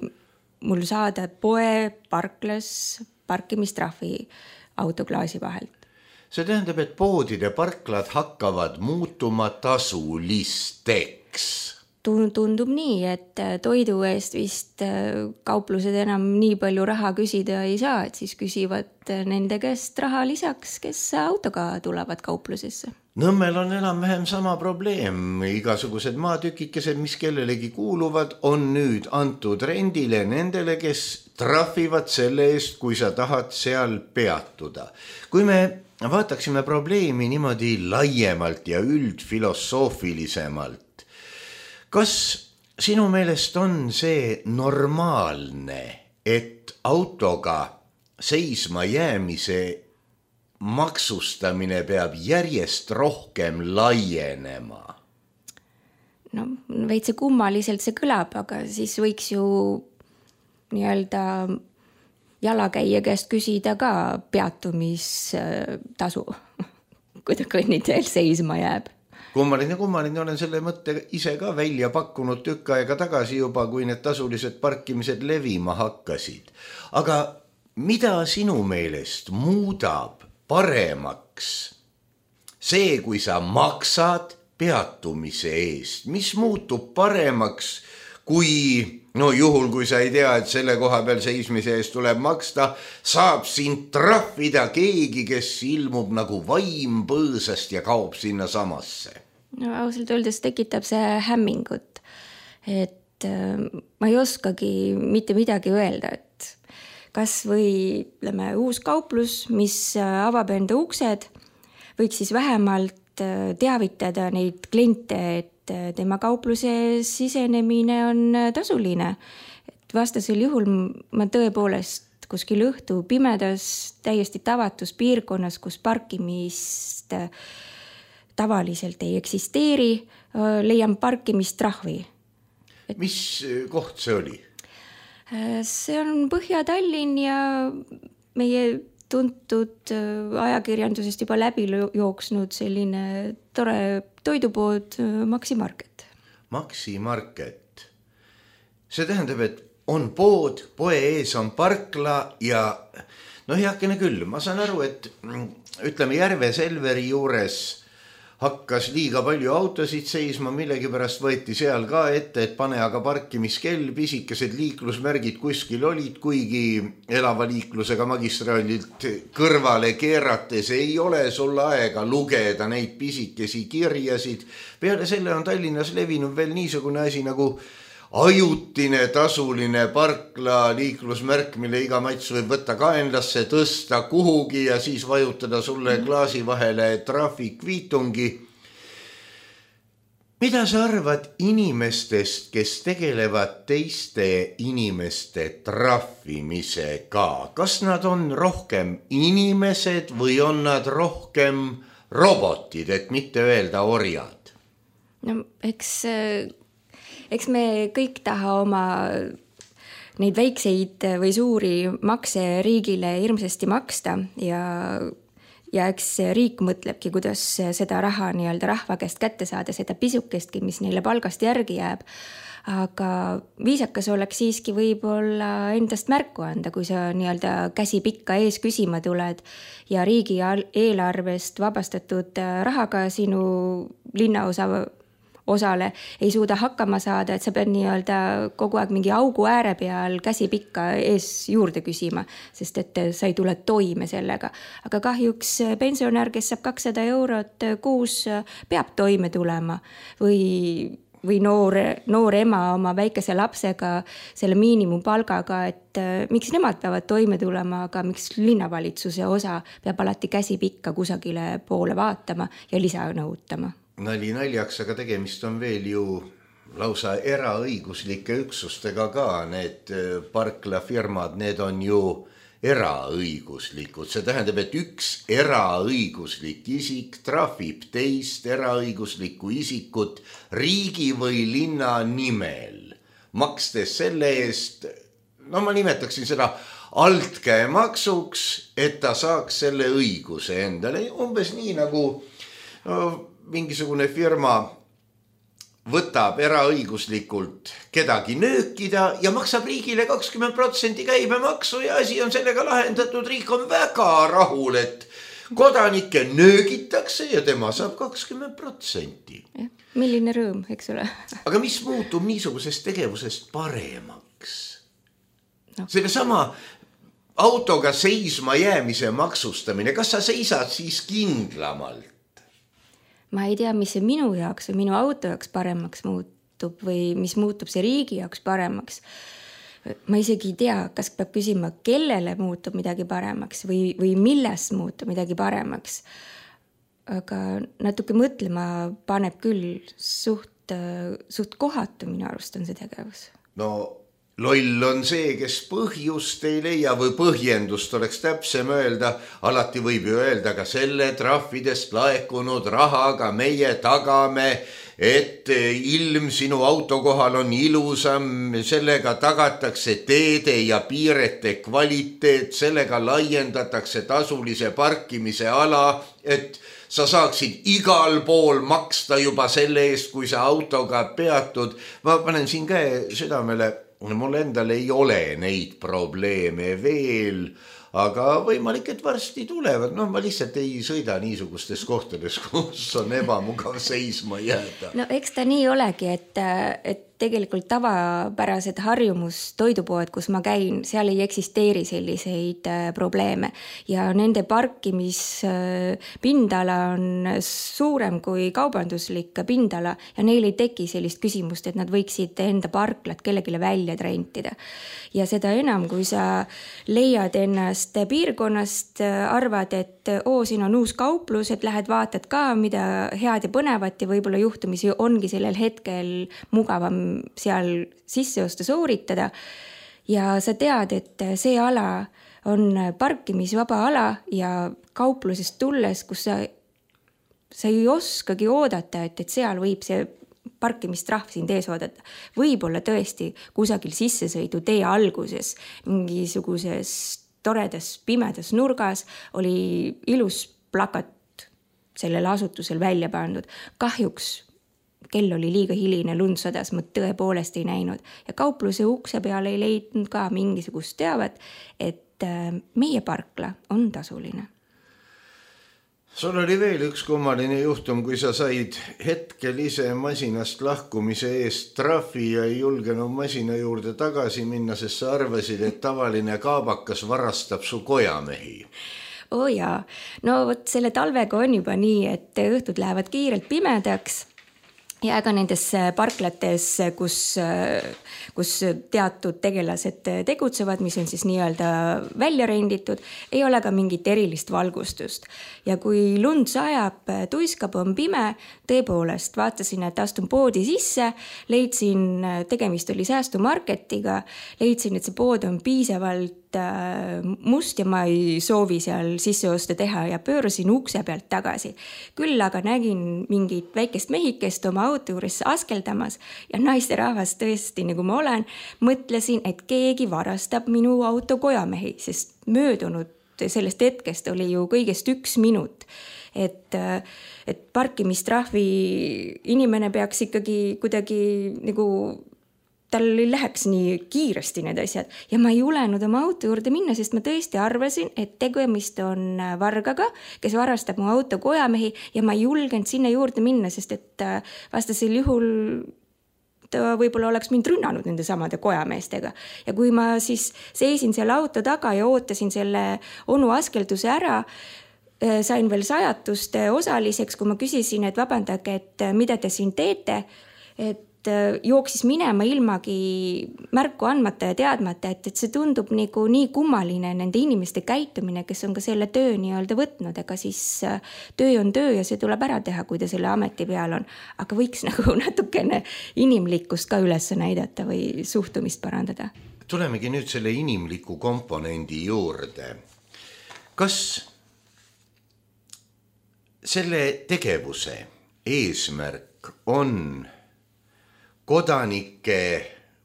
mul saada poe parklas parkimistrahvi autoklaasi vahelt. See tähendab, et poodide parklad hakkavad muutuma tasulisteks. Tundub nii, et toidu eest vist kauplused enam nii palju raha küsida ei saa, et siis küsivad nende käest raha lisaks, kes autoga tulevad kauplusesse. Nõmmel on enam-vähem sama probleem. Igasugused maatükikesed, mis kellelegi kuuluvad, on nüüd antud rendile nendele, kes trahvivad selle eest, kui sa tahad seal peatuda. Kui me vaataksime probleemi niimoodi laiemalt ja üldfilosoofilisemalt, kas sinu meelest on see normaalne, et autoga seisma jäämise maksustamine peab järjest rohkem laienema? No, veitse kummaliselt see kõlab, aga siis võiks ju nii-öelda jalakäija käest küsida ka peatumistasu, kui ta kõnniteel seisma jääb. Kummaline, kummaline, olen selle mõtte ise ka välja pakkunud tükk aega tagasi juba, kui need tasulised parkimised levima hakkasid. Aga mida sinu meelest muudab paremaks see, kui sa maksad peatumise eest? Mis muutub paremaks, kui, no juhul, kui sa ei tea, et selle koha peal seismise eest tuleb maksta, saab sind trahvida keegi, kes ilmub nagu vaim põõsast ja kaob sinna samasse? No ausalt öeldes tekitab see hämmingut, et ma ei oskagi mitte midagi öelda, et kas või ütleme, uus kauplus, mis avab enda uksed, võiks siis vähemalt teavitada neid kliente, et tema kaupluse sisenemine on tasuline. Et vastasel juhul ma tõepoolest kuskil õhtu pimedas, täiesti tavatus piirkonnas, kus parkimist tavaliselt ei eksisteeri, leian parkimistrahvi. Et... Mis koht see oli? See on Põhja-Tallinn ja meie tuntud ajakirjandusest juba läbi jooksnud selline tore toidupood Maxi Market. Maxi Market. See tähendab, et on pood, poe ees on parkla ja no heakene küll, ma saan aru, et ütleme Järve Selveri juures hakkas liiga palju autosid seisma, millegipärast võeti seal ka ette, et pane aga parkimiskell, pisikesed liiklusmärgid kuskil olid, kuigi elava liiklusega magistraalilt kõrvale keerates ei ole sul aega lugeda neid pisikesi kirjasid. Peale selle on Tallinnas levinud veel niisugune asi nagu ajutine tasuline parkla liiklusmärk, mille iga mats võib võtta kaenlasse, tõsta kuhugi ja siis vajutada sulle klaasi vahele trahvikviitungi. Mida sa arvad inimestest, kes tegelevad teiste inimeste trahvimisega? Kas nad on rohkem inimesed või on nad rohkem robotid, et mitte öelda orjad? No eks... Eks me kõik taha oma neid väikseid või suuri makse riigile hirmsasti maksta ja Ja eks riik mõtlebki, kuidas seda raha nii-öelda rahva käest kätte saada, seda pisukestki, mis neile palgast järgi jääb. Aga viisakas oleks siiski võib-olla endast märku anda, kui sa nii-öelda käsi pikka ees küsima tuled ja riigi eelarvest vabastatud rahaga sinu linnaosa osale ei suuda hakkama saada, et sa pead nii-öelda kogu aeg mingi augu ääre peal käsi pikka ees juurde küsima, sest et sa ei tule toime sellega. Aga kahjuks pensionär, kes saab kakssada eurot kuus, peab toime tulema või, või noor, noor ema oma väikese lapsega selle miinimumpalgaga, et miks nemad peavad toime tulema, aga miks linnavalitsuse osa peab alati käsi pikka kusagile poole vaatama ja lisa nõutama. Nali naljaks, aga tegemist on veel ju lausa eraõiguslike üksustega ka. Need parklafirmad, need on ju eraõiguslikud. See tähendab, et üks eraõiguslik isik trahvib teist eraõiguslikku isikut riigi või linna nimel, makstes selle eest, no ma nimetaksin seda altkäemaksuks, et ta saaks selle õiguse endale. Umbes nii nagu no, mingisugune firma võtab eraõiguslikult kedagi nöökida ja maksab riigile kakskümmend protsenti käibemaksu ja asi on sellega lahendatud. Riik on väga rahul, et kodanikke nöögitakse ja tema saab kakskümmend protsenti. Milline rõõm, eks ole? Aga mis muutub niisugusest tegevusest paremaks? No. Selle sama autoga seisma jäämise maksustamine, kas sa seisad siis kindlamalt? Ma ei tea, mis see minu jaoks või minu auto jaoks paremaks muutub või mis muutub see riigi jaoks paremaks. Ma isegi ei tea, kas peab küsima, kellele muutub midagi paremaks või, või millest muutub midagi paremaks. Aga natuke mõtlema paneb küll suht, suht kohatu minu arust on see tegevus. No loll on see, kes põhjust ei leia või põhjendust oleks täpsem öelda. Alati võib ju öelda, ka selle trahvidest laekunud rahaga meie tagame, et ilm sinu auto kohal on ilusam, sellega tagatakse teede ja piirete kvaliteet, sellega laiendatakse tasulise parkimise ala, et sa saaksid igal pool maksta juba selle eest, kui sa autoga peatud. Ma panen siin käe südamele, mul endal ei ole neid probleeme veel, aga võimalik, et varsti tulevad. No ma lihtsalt ei sõida niisugustes kohtades, kus on ebamugav seisma jääda. No eks ta nii olegi, et, et tegelikult tavapärased harjumus toidupoed, kus ma käin, seal ei eksisteeri selliseid probleeme ja nende parkimispindala on suurem kui kaubanduslik pindala ja neil ei teki sellist küsimust, et nad võiksid enda parklat kellegile välja rentida. Ja seda enam, kui sa leiad ennast piirkonnast, arvad, et oo, siin on uus kauplus, et lähed vaatad ka, mida head ja põnevat ja võib-olla juhtumisi ongi sellel hetkel mugavam seal sisseosta sooritada ja sa tead, et see ala on parkimisvaba ala ja kauplusest tulles, kus sa, sa ei oskagi oodata, et, et seal võib see parkimistrahv sind ees oodata. Võib-olla tõesti kusagil sissesõidu tee alguses, mingisuguses toredas pimedas nurgas oli ilus plakat sellel asutusel välja pandud. Kahjuks kell oli liiga hiline, lund sadas, ma tõepoolest ei näinud. Ja kaupluse ukse peale ei leidnud ka mingisugust teavat, et meie parkla on tasuline. Sul oli veel üks kummaline juhtum, kui sa said hetkel ise masinast lahkumise eest trahvi ja ei julgenud masina juurde tagasi minna, sest sa arvasid, et tavaline kaabakas varastab su kojamehi. Oo jaa, no võt selle talvega on juba nii, et õhtud lähevad kiirelt pimedaks ja ega nendes parklates, kus, kus teatud tegelased tegutsevad, mis on siis nii-öelda välja renditud, ei ole ka mingit erilist valgustust. Ja kui lund sajab, tuiskab, on pime, tõepoolest vaatasin, et astun poodi sisse, leidsin, tegemist oli säästumarketiga, leidsin, et see pood on piisavalt must ja ma ei soovi seal sisseoste teha ja pöörasin ukse pealt tagasi. Küll aga nägin mingit väikest mehikest oma auto juures askeldamas ja naisterahvas tõesti, nagu ma olen, mõtlesin, et keegi varastab minu auto kojamehi, sest möödunud sellest hetkest oli ju kõigest üks minut. Et, et parkimistrahvi inimene peaks ikkagi kuidagi nagu tal ei läheks nii kiiresti need asjad ja ma ei julenud oma auto juurde minna, sest ma tõesti arvasin, et tegemist on vargaga, kes varastab mu auto kojamehi ja ma ei julgenud sinna juurde minna, sest et vastasel juhul ta võib-olla oleks mind rünnanud nende samade kojameestega. Ja kui ma siis seisin selle auto taga ja ootasin selle onu askelduse ära, sain veel sajatuste osaliseks, kui ma küsisin, et vabandage, et mida te siin teete, et jooksis minema ilmagi märku andmata ja teadmata, et, et see tundub nagu nii kummaline nende inimeste käitumine, kes on ka selle töö nii-öelda võtnud, ega siis töö on töö ja see tuleb ära teha, kui ta selle ameti peal on. Aga võiks nagu natukene inimlikkust ka üles näidata või suhtumist parandada. Tulemegi nüüd selle inimliku komponendi juurde. Kas selle tegevuse eesmärk on kodanike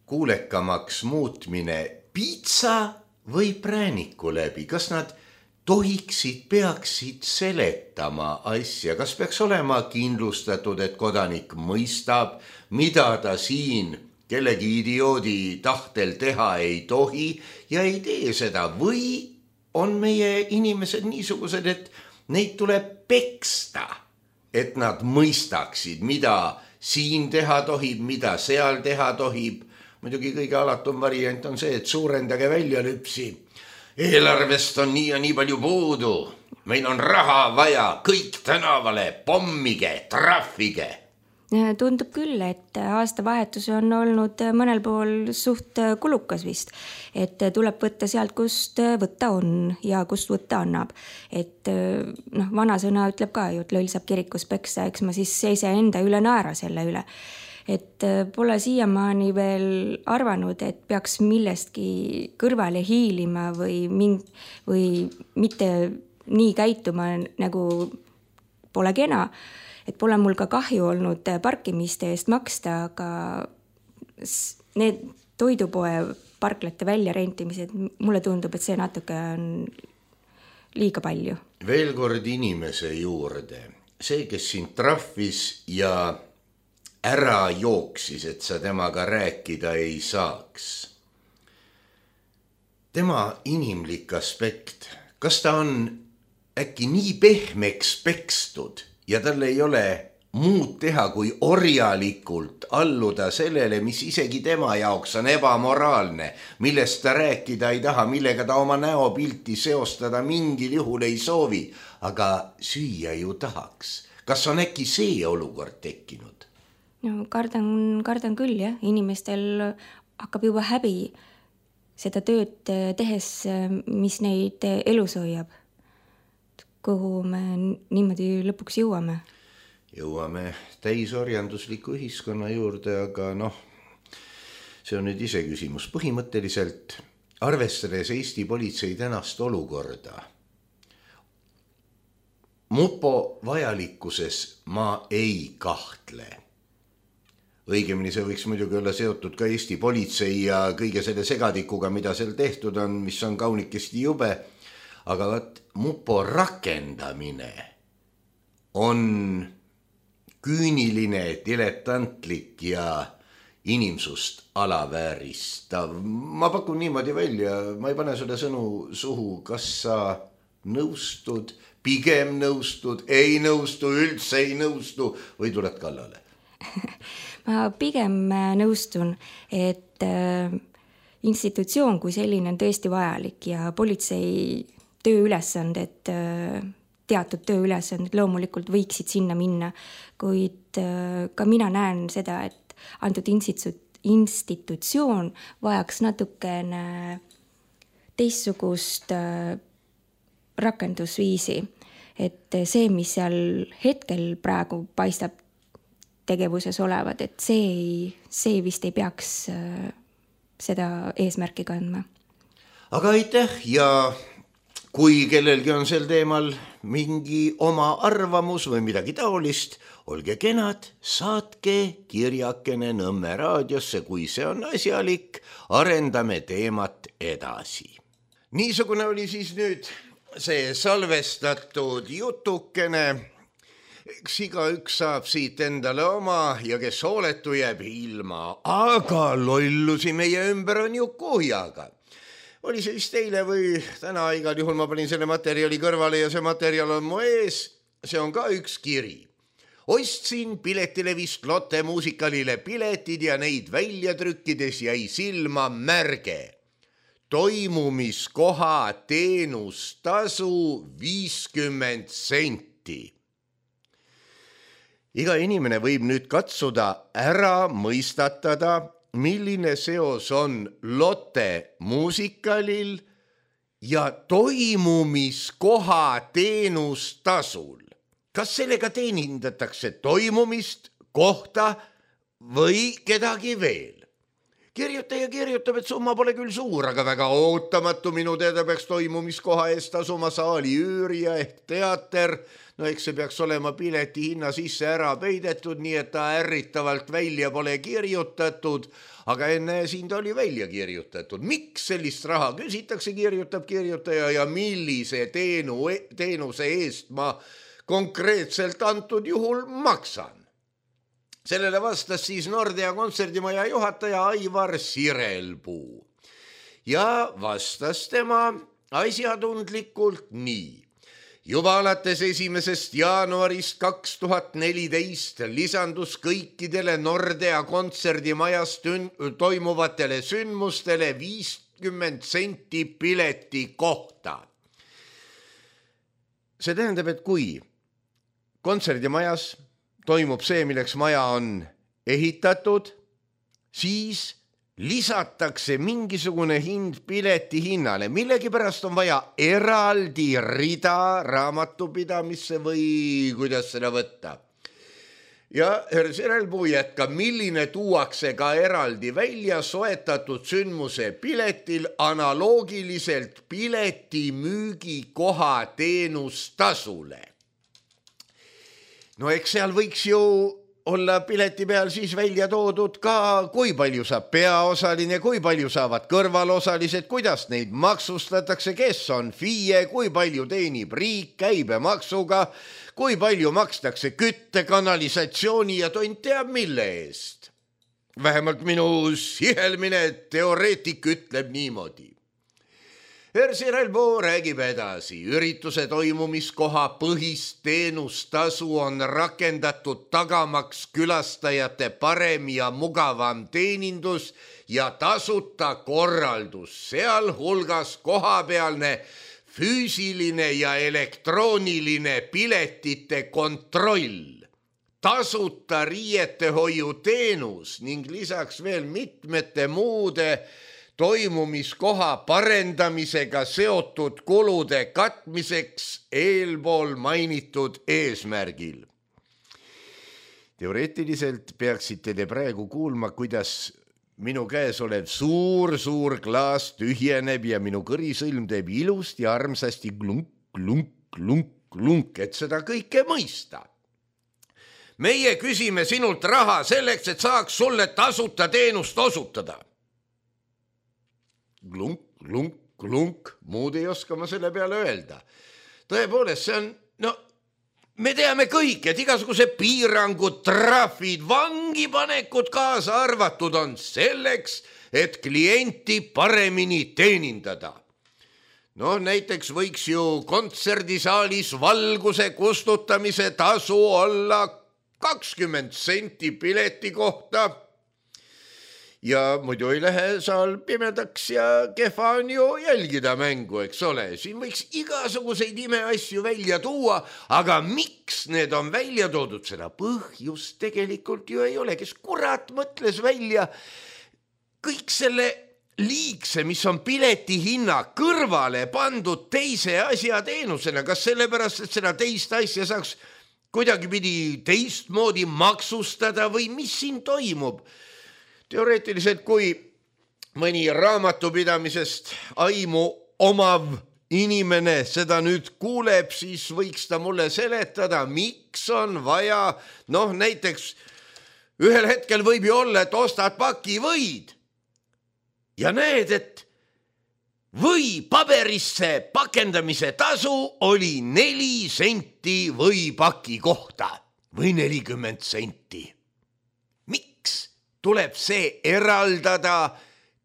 kuulekamaks muutmine piitsa või prääniku läbi? Kas nad tohiksid, peaksid seletama asja? Kas peaks olema kindlustatud, et kodanik mõistab, mida ta siin kellegi idioodi tahtel teha ei tohi ja ei tee seda? Või on meie inimesed niisugused, et neid tuleb peksta, et nad mõistaksid, mida siin teha tohib, mida seal teha tohib. Muidugi kõige alatum variant on see, et suurendage välja lüpsi. Eelarvest on nii ja nii palju puudu. Meil on raha vaja, kõik tänavale, pommige, trahvige. Tundub küll, et aastavahetus on olnud mõnel pool suht kulukas vist, et tuleb võtta sealt, kust võtta on ja kust võtta annab. Et noh, vanasõna ütleb ka ju, et loll saab kirikus peksa, eks ma siis seise enda üle naera selle üle. Et pole siiamaani veel arvanud, et peaks millestki kõrvale hiilima või, ming, või mitte nii käituma nagu pole kena. Et pole mul ka kahju olnud parkimiste eest maksta, aga need toidupoe parklate välja rentimised, mulle tundub, et see natuke on liiga palju. Veel kord inimese juurde. See, kes sind trahvis ja ära jooksis, et sa temaga rääkida ei saaks. Tema inimlik aspekt, kas ta on äkki nii pehmeks pekstud, ja tal ei ole muud teha, kui orjalikult alluda sellele, mis isegi tema jaoks on ebamoraalne, millest ta rääkida ei taha, millega ta oma näopilti seostada mingil juhul ei soovi, aga süüa ju tahaks. Kas on äkki see olukord tekkinud? No, kardan, kardan küll, jah. Inimestel hakkab juba häbi seda tööd tehes, mis neid elus hoiab. Kuhu me niimoodi lõpuks jõuame? Jõuame täisorjandusliku ühiskonna juurde, aga noh, see on nüüd ise küsimus. Põhimõtteliselt, arvestades Eesti politsei tänast olukorda, mupo vajalikkuses ma ei kahtle. Õigemini see võiks muidugi olla seotud ka Eesti politsei ja kõige selle segadikuga, mida seal tehtud on, mis on kaunikesti jube. Aga võt, mupo rakendamine on küüniline, diletantlik ja inimsust alavääristav. Ma pakun niimoodi välja, ma ei pane sulle sõnu suhu, kas sa nõustud, pigem nõustud, ei nõustu, üldse ei nõustu või tuled kallale? Ma pigem nõustun, et institutsioon kui selline on tõesti vajalik ja politsei tööülesanded, teatud tööülesanded loomulikult võiksid sinna minna, kuid ka mina näen seda, et antud institutsioon vajaks natukene teistsugust rakendusviisi, et see, mis seal hetkel praegu paistab tegevuses olevad, et see, see vist ei peaks seda eesmärki kandma. aga aitäh ja kui kellelgi on sel teemal mingi oma arvamus või midagi taolist, olge kenad, saatke kirjakene Nõmme raadiosse, kui see on asjalik, arendame teemat edasi. Niisugune oli siis nüüd see salvestatud jutukene. Eks igaüks saab siit endale oma ja kes hooletu jääb ilma, aga lollusi meie ümber on ju kuhjaga. Oli see vist eile või täna, igal juhul ma panin selle materjali kõrvale ja see materjal on mu ees. See on ka üks kiri. Ostsin piletilevist Lotte muusikalile piletid ja neid välja trükkides jäi silma märge. Toimumiskoha teenustasu viiskümmend senti. Iga inimene võib nüüd katsuda ära mõistatada, milline seos on Lotte muusikalil ja toimumiskoha teenustasul. Kas sellega teenindatakse toimumist, kohta või kedagi veel? Kirjutaja kirjutab, et summa pole küll suur, aga väga ootamatu minu teada peaks toimumiskoha eest tasuma saali üürija ehk teater. No eks see peaks olema pileti hinna sisse ära peidetud, nii et ta ärritavalt välja pole kirjutatud, aga enne siin ta oli välja kirjutatud. Miks sellist raha küsitakse, kirjutab kirjutaja ja millise teenu, teenuse eest ma konkreetselt antud juhul maksan? Sellele vastas siis Nordea kontserdimaja juhataja Aivar Sirelpuu ja vastas tema asjatundlikult nii. Juba alates esimesest jaanuarist kaks tuhat neliteist lisandus kõikidele Nordea kontserdimajas toimuvatele sündmustele viiskümmend senti pileti kohta. See tähendab, et kui kontserdimajas toimub see, milleks maja on ehitatud, siis lisatakse mingisugune hind pileti hinnale. Millegipärast on vaja eraldi rida raamatupidamisse või kuidas seda võtta. Ja herr Sirelpuu jätkab, milline tuuakse ka eraldi välja soetatud sündmuse piletil analoogiliselt pileti müügikoha teenustasule. No eks seal võiks ju olla pileti peal siis välja toodud ka, kui palju saab peaosaline, kui palju saavad kõrvalosalised, kuidas neid maksustatakse, kes on F I E, kui palju teenib riik käibemaksuga, kui palju makstakse kütte, kanalisatsiooni ja tont teab mille eest. Vähemalt minu sihelmine teoreetik ütleb niimoodi. Herr Sirelpuu räägib edasi. Ürituse toimumiskoha põhist teenustasu on rakendatud tagamaks külastajate parem ja mugavam teenindus ja tasuta korraldus, sealhulgas kohapealne füüsiline ja elektrooniline piletite kontroll, tasuta riietehoiu teenus ning lisaks veel mitmete muude toimumiskoha parendamisega seotud kulude katmiseks eelpool mainitud eesmärgil. Teoreetiliselt peaksite te praegu kuulma, kuidas minu käes olev suur-suur klaas tühjeneb ja minu kõrisõlm teeb ilust ja armsasti klunk, klunk, klunk, klunk, et seda kõike mõista. Meie küsime sinult raha selleks, et saaks sulle tasuta teenust osutada. Klunk, klunk, klunk, muud ei oska ma selle peale öelda. Tõepoolest, see on, no, me teame kõik, et igasuguse piirangud, trahvid, vangipanekud kaasa arvatud on selleks, et klienti paremini teenindada. No näiteks võiks ju kontserdisaalis valguse kustutamise tasu olla kakskümmend senti pileti kohta. Ja muidu ei lähe saal pimedaks ja kehva on ju jälgida mängu, eks ole. Siin võiks igasuguseid imeasju välja tuua, aga miks need on välja toodud, seda põhjust tegelikult ju ei ole. Kes kurat mõtles välja kõik selle liigse, mis on pileti hinna kõrvale pandud teise asja teenusena. Kas sellepärast, et seda teist asja saaks kuidagi pidi teistmoodi maksustada või mis siin toimub? Teoreetiliselt, kui mõni raamatupidamisest aimu omav inimene seda nüüd kuuleb, siis võiks ta mulle seletada, miks on vaja, noh näiteks ühel hetkel võib ju olla, et ostad paki võid ja näed, et või paberisse pakendamise tasu oli neli senti võipaki kohta või nelikümmend senti. Miks tuleb see eraldada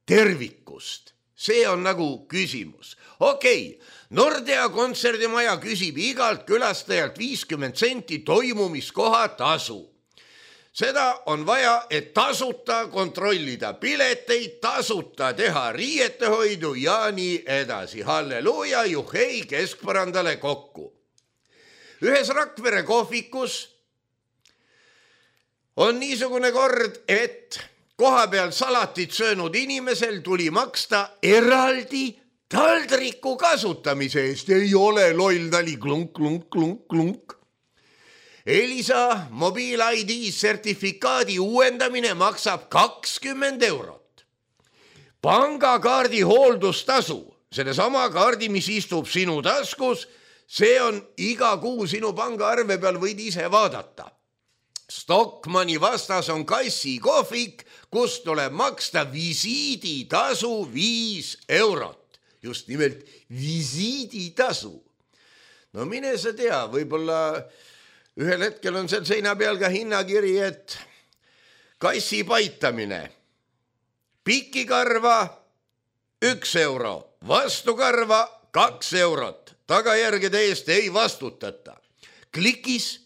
tervikust? See on nagu küsimus. Okei, Nordea kontserdimaja küsib igalt külastajalt viiskümmend senti toimumiskoha tasu. Seda on vaja, et tasuta kontrollida pileteid, tasuta teha riietehoidu ja nii edasi. Halleluuja, juhei keskpõrandale kokku. Ühes Rakvere kohvikus on niisugune kord, et koha peal salatit söönud inimesel tuli maksta eraldi taldriku kasutamise eest. Ei ole loll, tali klunk, klunk, klunk, klunk. Elisa mobiil-I D sertifikaadi uuendamine maksab kakskümmend eurot. Pangakaardi hooldustasu, selle sama kaardi, mis istub sinu taskus, see on iga kuu sinu pangaarve peal, võid ise vaadata. Stockmanni vastas on kassi kohvik, kus tuleb maksta visiiditasu viis eurot. Just nimelt visiiditasu. No mine sa tea, võib-olla ühel hetkel on seal seina peal ka hinnakiri, et kassi paitamine, pikikarva üks euro, vastukarva kaks eurot, tagajärgede eest ei vastutata. Klikis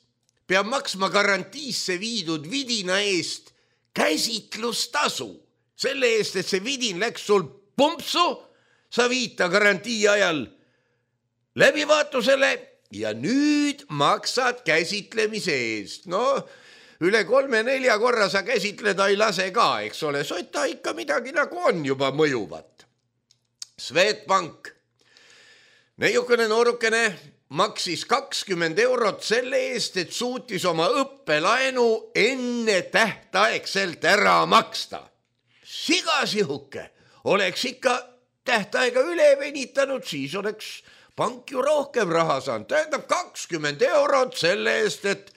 peab maksma garantiisse viidud vidina eest käsitlustasu. Selle eest, et see vidin läks sul pumpsu, sa viita garantii ajal läbivaatusele ja nüüd maksad käsitlemise eest. No, üle kolme-nelja korra sa käsitleda ei lase ka, eks ole, sota ikka midagi nagu on juba mõjuvat. Swedbank, neiukene noorukene, maksis kakskümmend eurot selle eest, et suutis oma õppelaenu enne tähtaegselt ära maksta. Sigasihuke, oleks ikka tähtaega üle venitanud, siis oleks pank ju rohkem raha saanud. Tähendab kakskümmend eurot selle eest, et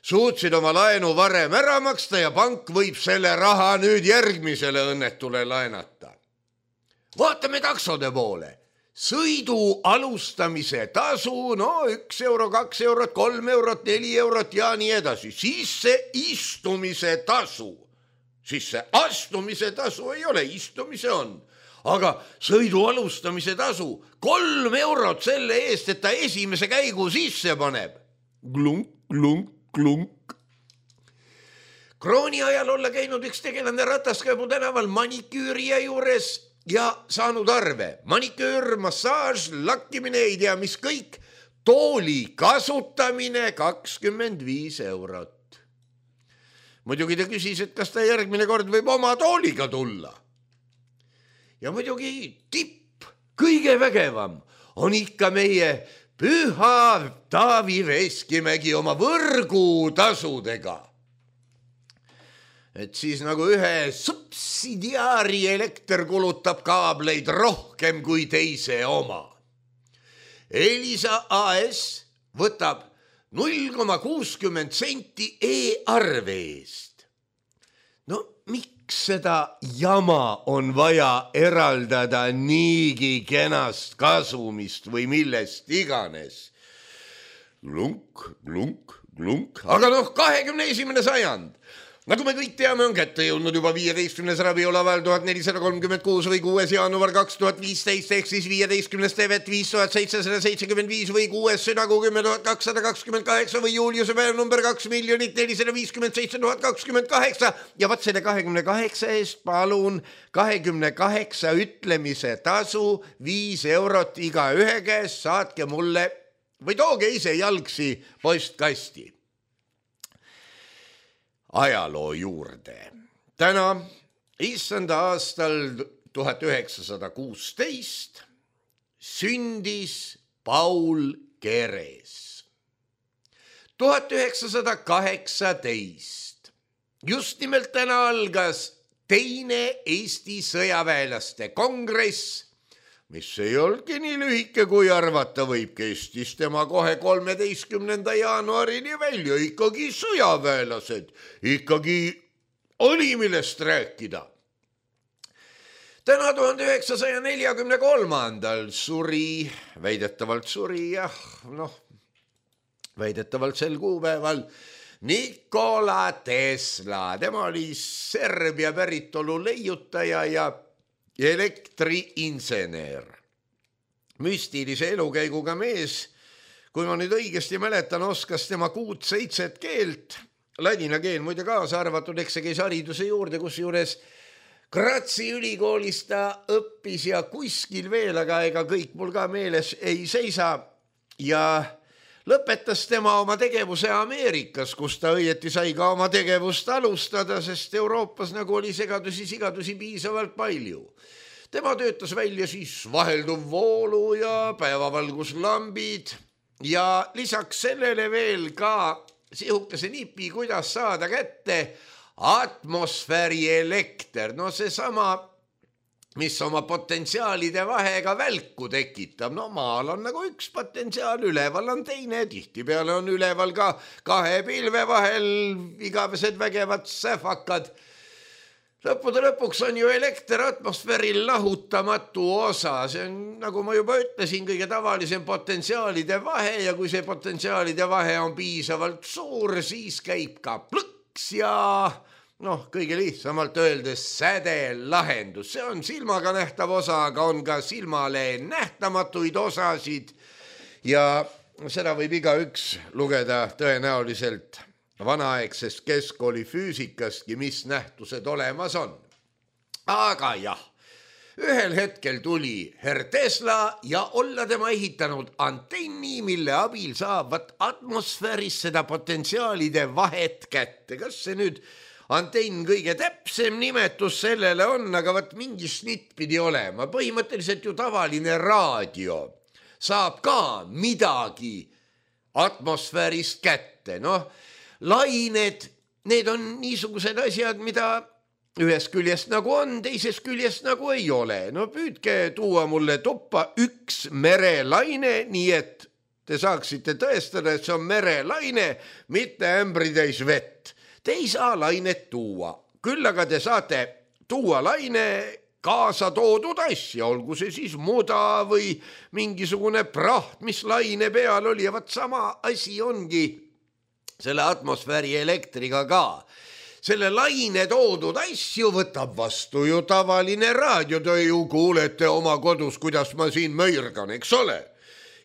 suutsid oma laenu varem ära maksta ja pank võib selle raha nüüd järgmisele õnnetule laenata. Vaatame taksode poole. Sõidu alustamise tasu, no üks euro, kaks eurot, kolm eurot, neli eurot ja nii edasi. Sisse istumise tasu. Sisse astumise tasu ei ole, istumise on. Aga sõidu alustamise tasu, kolm eurot selle eest, et ta esimese käigu sisse paneb. Glunk, glunk, glunk. Krooni ajal olla käinud üks tegelane Rataskäibu tänaval maniküürija juures ja saanud arve. Maniküür, massaaž, lakkimine, ei tea mis kõik, tooli kasutamine kakskümmend viis eurot. Muidugi ta küsis, et kas ta järgmine kord võib oma tooliga tulla. Ja muidugi tipp, kõige vägevam on ikka meie püha Taavi Veskimägi oma võrgutasudega. Et siis nagu ühe subsidiaari elekter kulutab kaableid rohkem kui teise oma. Elisa A S võtab null koma kuuskümmend senti e-arve eest. No miks seda jama on vaja eraldada niigi kenast kasumist või millest iganes? Glunk, glunk, glunk. Aga noh, kahekümne esimene sajand. Nagu me kõik teame, on kätte jõudnud juba viieteistkümnes raviolaval tuhat nelisada kolmkümmend kuus või kuues jaanuar kaks tuhat viisteist, ehk siis viieteistkümnes tevet viis tuhat seitsesada seitsekümmend viis või kuues südagu kümme tuhat kakssada kakskümmend kaheksa või Juliuse päev number kaks miljonit nelisada viiskümmend seitse tuhat kakskümmend kaheksa. Ja vaat selle kahekümne kaheksa eest palun kahekümne kaheksa ütlemise tasu viis eurot iga ühe käest, saatke mulle või tooge ise jalgsi postkasti. Ajaloo juurde. Täna, issanda aastal tuhat üheksasada kuusteist, sündis Paul Keres. tuhat üheksasada kaheksateist. Just nimelt täna algas teine Eesti sõjaväelaste kongress, mis ei olnudki nii lühike, kui arvata võib, kestis tema kohe kolmeteistkümnenda jaanuarini välja, ikkagi sõjaväelased, ikkagi oli millest rääkida. Täna tuhande üheksasaja neljakümne kolmandal suri, väidetavalt suri, jah, noh, väidetavalt sel kuupäeval Nikola Tesla, tema oli Serbia päritolu leiutaja ja elektriinsener. Müstilise elukäiguga mees, kui ma nüüd õigesti mäletan, oskas tema kuut-seitset keelt, ladina keel muide kaasa arvatud, eks see käis hariduse juurde, kus juures Gratsi ülikoolis ta õppis ja kuskil veel, aga ega kõik mul ka meeles ei seisa ja lõpetas tema oma tegevuse Ameerikas, kus ta õieti sai ka oma tegevust alustada, sest Euroopas nagu oli segadusi, sigadusi piisavalt palju. Tema töötas välja siis vahelduv voolu ja päevavalguslambid ja lisaks sellele veel ka sihukese nipi, kuidas saada kätte atmosfääri elekter. No see sama, mis oma potentsiaalide vahega välku tekitab. No maal on nagu üks potentsiaal, üleval on teine, tihtipeale on üleval ka kahe pilve vahel igavesed vägevad säfakad. Lõppude lõpuks on ju elekter atmosfääril lahutamatu osa. See on, nagu ma juba ütlesin, kõige tavalisem potentsiaalide vahe ja kui see potentsiaalide vahe on piisavalt suur, siis käib ka plõks ja noh, kõige lihtsamalt öeldes säde lahendus. See on silmaga nähtav osa, aga on ka silmale nähtamatuid osasid ja seda võib igaüks lugeda tõenäoliselt vanaaegsest keskkooli füüsikastki, mis nähtused olemas on. Aga jah, ühel hetkel tuli herr Tesla ja olla tema ehitanud antenni, mille abil saavad atmosfääris seda potentsiaalide vahet kätte. Kas see nüüd antenn kõige täpsem nimetus sellele on, aga võt mingi snitt pidi olema. Põhimõtteliselt ju tavaline raadio saab ka midagi atmosfäärist kätte. Noh, lained, need on niisugused asjad, mida ühest küljest nagu on, teisest küljest nagu ei ole. No püüdke tuua mulle tuppa üks merelaine, nii et te saaksite tõestada, et see on merelaine, mitte ämbritäis vett. Te ei saa lainet tuua, küll aga te saate tuua laine kaasa toodud asja, olgu see siis muda või mingisugune praht, mis laine peal oli ja vat sama asi ongi selle atmosfääri elektriga ka. Selle laine toodud asju võtab vastu ju tavaline raadio, te ju kuulete oma kodus, kuidas ma siin möirgan, eks ole.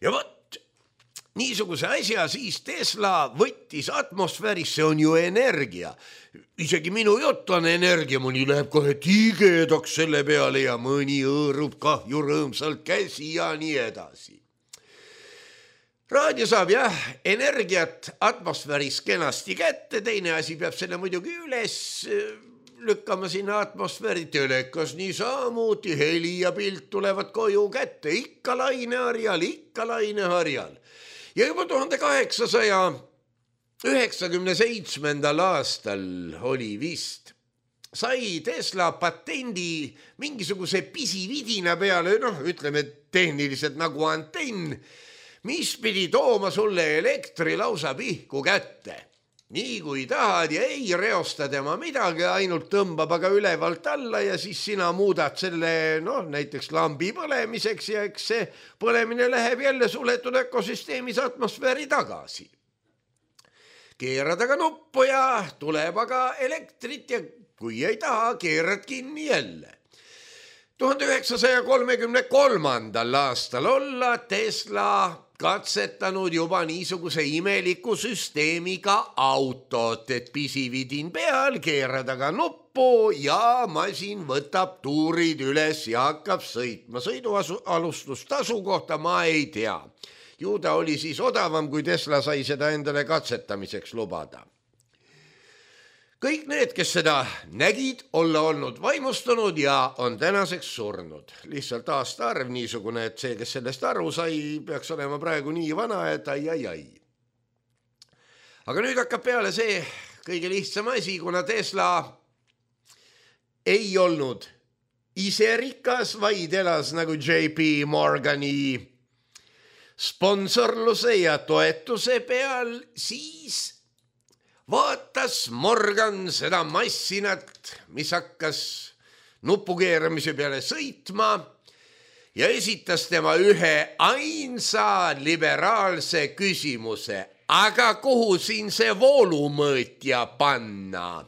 Ja võt, niisuguse asja siis Tesla võttis atmosfääris, see on ju energia. Isegi minu jutt on energia, mõni läheb kohe tigedaks selle peale ja mõni õõrub kahju rõõmsalt käsi ja nii edasi. Raadio saab jah energiat atmosfääris kenasti kätte, teine asi peab selle muidugi üles lükkama sinna atmosfääri, telekas niisamuti, heli ja pilt tulevad koju kätte, ikka laineharjal, ikka laineharjal. Ja juba tuhande kaheksasaja üheksakümne seitsmendal aastal oli vist, sai Tesla patendi mingisuguse pisividina peale, noh ütleme tehniliselt nagu antenn, mis pidi tooma sulle elektri lausa pihku kätte. Nii kui tahad ja ei reosta tema midagi, ainult tõmbab aga ülevalt alla ja siis sina muudad selle, noh, näiteks lambi põlemiseks ja eks see põlemine läheb jälle suletud ökosüsteemis atmosfääri tagasi. Keerad aga nuppu ja tuleb aga elektrit ja kui ei taha, keerad kinni jälle. tuhande üheksasaja kolmekümne kolmandal aastal olla Tesla katsetanud juba niisuguse imeliku süsteemiga autot, et pisividin peal, keerad aga nuppu ja masin võtab tuurid üles ja hakkab sõitma. Sõidualustustasu kohta ma ei tea. Ju ta oli siis odavam, kui Tesla sai seda endale katsetamiseks lubada. Kõik need, kes seda nägid, olla olnud vaimustunud ja on tänaseks surnud. Lihtsalt aasta arv niisugune, et see, kes sellest aru sai, peaks olema praegu nii vana, et ai, ai, ai. Aga nüüd hakkab peale see kõige lihtsam asi, kuna Tesla ei olnud ise rikas, vaid elas nagu J P Morgani sponsorluse ja toetuse peal, siis vaatas Morgan seda massinat, mis hakkas nupukeeramise peale sõitma ja esitas tema ühe ainsa liberaalse küsimuse. Aga kuhu siin see voolumõõtja panna?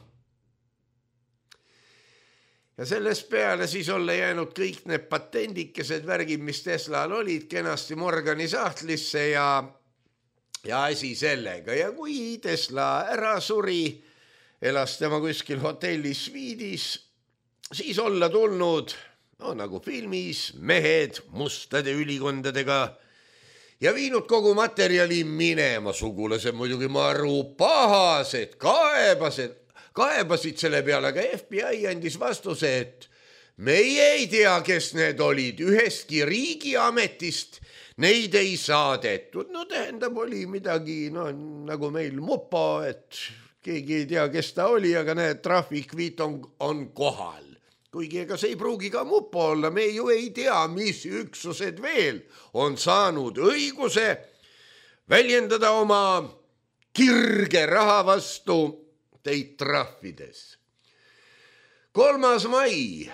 Ja sellest peale siis olla jäänud kõik need patendikesed värgid, mis Teslal olid, kenasti Morgani sahtlisse ja, ja asi sellega. Ja kui Tesla ära suri, elas tema kuskil hotellis sviidis, siis olla tulnud, no nagu filmis, mehed mustade ülikondadega ja viinud kogu materjali minema. Sugulased muidugi maru pahased, kaebased, kaebasid selle peale, aga F B I andis vastuse, et meie ei tea, kes need olid, ühestki riigiametist neid ei saadetud. No tähendab, oli midagi no, nagu meil mupo, et keegi ei tea, kes ta oli, aga need trahvikviit on, on kohal. Kuigi ega see ei pruugi ka mupo olla, me ju ei tea, mis üksused veel on saanud õiguse väljendada oma kirge raha vastu teid trahvides. Kolmas mai,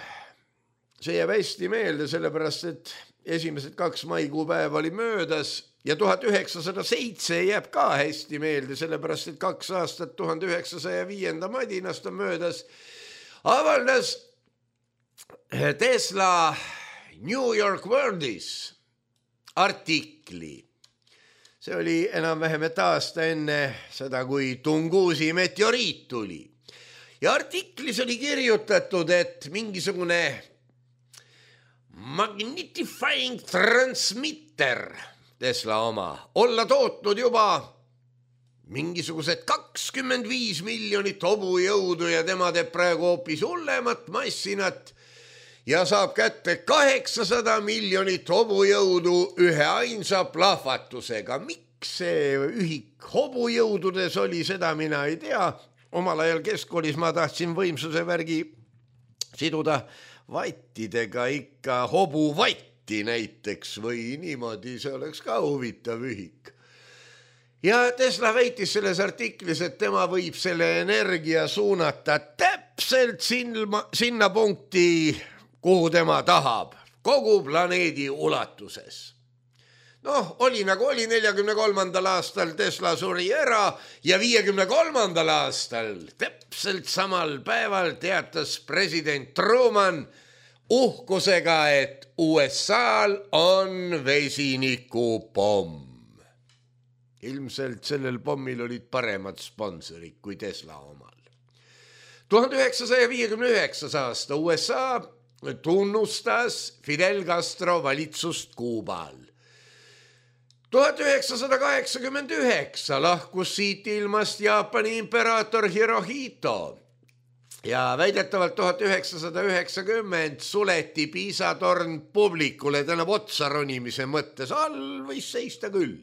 see jääb hästi meelde, sellepärast et esimesed kaks maikuupäeva oli möödas ja tuhat üheksasada seitse jääb ka hästi meelde, sellepärast et kaks aastat tuhande üheksasaja viienda madinast on möödas, avaldas Tesla New York Worldis artikli. See oli enam-vähem et aasta enne seda, kui Tungusi meteoriit tuli. Ja artiklis oli kirjutatud, et mingisugune magnifying transmitter, Tesla oma, olla tootnud juba mingisugused kakskümmend viis miljonit hobujõudu ja tema teeb praegu hoopis hullemat massinat ja saab kätte kaheksasada miljonit hobujõudu ühe ainsa plahvatusega. Miks see ühik hobujõududes oli, seda mina ei tea. Omal ajal keskkoolis ma tahtsin võimsuse värgi siduda vattidega, ikka hobuvatti näiteks või niimoodi, see oleks ka huvitav ühik. Ja Tesla väitis selles artiklis, et tema võib selle energia suunata täpselt sinna, sinna punkti, kuhu tema tahab, kogu planeedi ulatuses. Noh, oli nagu oli neljakümne kolmandal aastal Tesla suri ära ja viiekümne kolmandal aastal täpselt samal päeval teatas president Truman uhkusega, et U S A-l on vesinikupomm. Ilmselt sellel pommil olid paremad sponsorid kui Tesla omal. tuhande üheksasaja viiekümne üheksas aasta U S A tunnustas Fidel Castro valitsust Kuubal. tuhat üheksasada kaheksakümmend üheksa lahkus siit ilmast Jaapani imperaator Hirohito ja väidetavalt tuhat üheksasada üheksakümmend suleti Piisa torn publikule, tähendab otsa ronimise mõttes, all võis seista küll.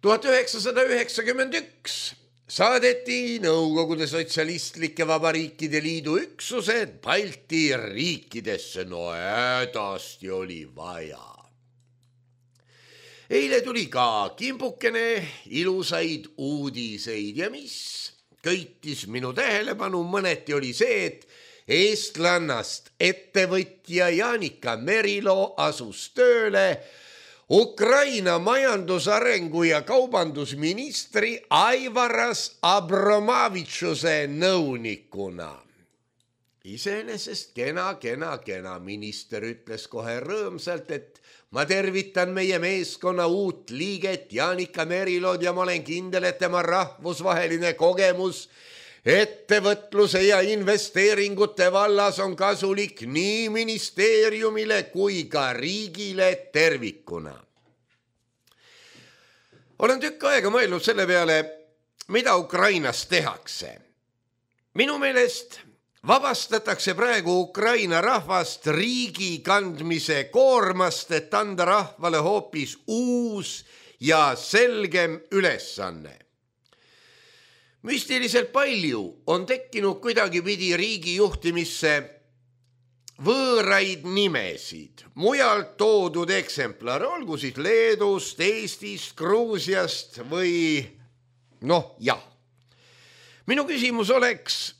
tuhat üheksasada üheksakümmend üks saadeti Nõukogude Sotsialistlike Vabariikide Liidu üksused Balti riikidesse, no hädasti oli vaja. Eile tuli ka kimbukene ilusaid uudiseid ja mis köitis minu tähelepanu mõneti oli see, et eestlannast ettevõtja Jaanika Merilo asus tööle Ukraina majandusarengu ja kaubandusministri Aivaras Abromavitšuse nõunikuna. Iseenesest kena, kena, kena, minister ütles kohe rõõmsalt, et ma tervitan meie meeskonna uut liiget Jaanika Merilod ja ma olen kindel, et tema rahvusvaheline kogemus ettevõtluse ja investeeringute vallas on kasulik nii ministeeriumile kui ka riigile tervikuna. Olen tükk aega mõelnud selle peale, mida Ukrainas tehakse. Minu meelest vabastatakse praegu Ukraina rahvast riigi kandmise koormast, et anda rahvale hoopis uus ja selgem ülesanne. müstiliselt palju on tekkinud kuidagi pidi riigi juhtimisse võõraid nimesid, mujalt toodud eksemplar, olgu siis Leedust, Eestist, Gruusiast või noh, jah. Minu küsimus oleks,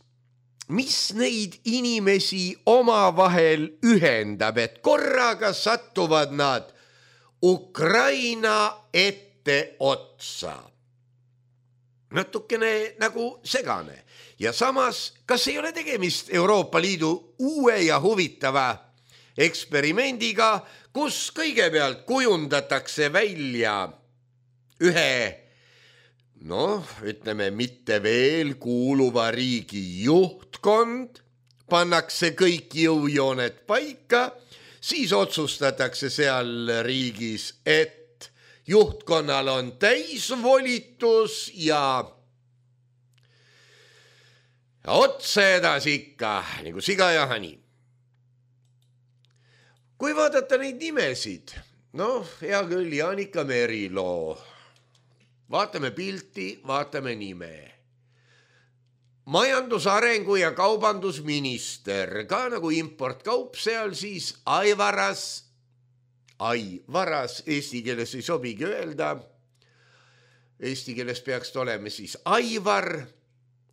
mis neid inimesi omavahel ühendab, et korraga satuvad nad Ukraina ette otsa. Natukene nagu segane ja samas, kas ei ole tegemist Euroopa Liidu uue ja huvitava eksperimendiga, kus kõigepealt kujundatakse välja ühe, noh, ütleme mitte veel kuuluva riigi juhtkond, pannakse kõik jõujooned paika, siis otsustatakse seal riigis, et juhtkonnal on täisvolitus ja otse edasi ikka, nagu siga ja hani. Kui vaadata neid nimesid, noh, hea küll, Jaanika Merilo, vaatame pilti, vaatame nime. Majandusarengu ja kaubandusminister, ka nagu importkaup seal siis Aivaras, Aivaras, eesti keeles ei sobigi öelda, eesti keeles peaks olema siis Aivar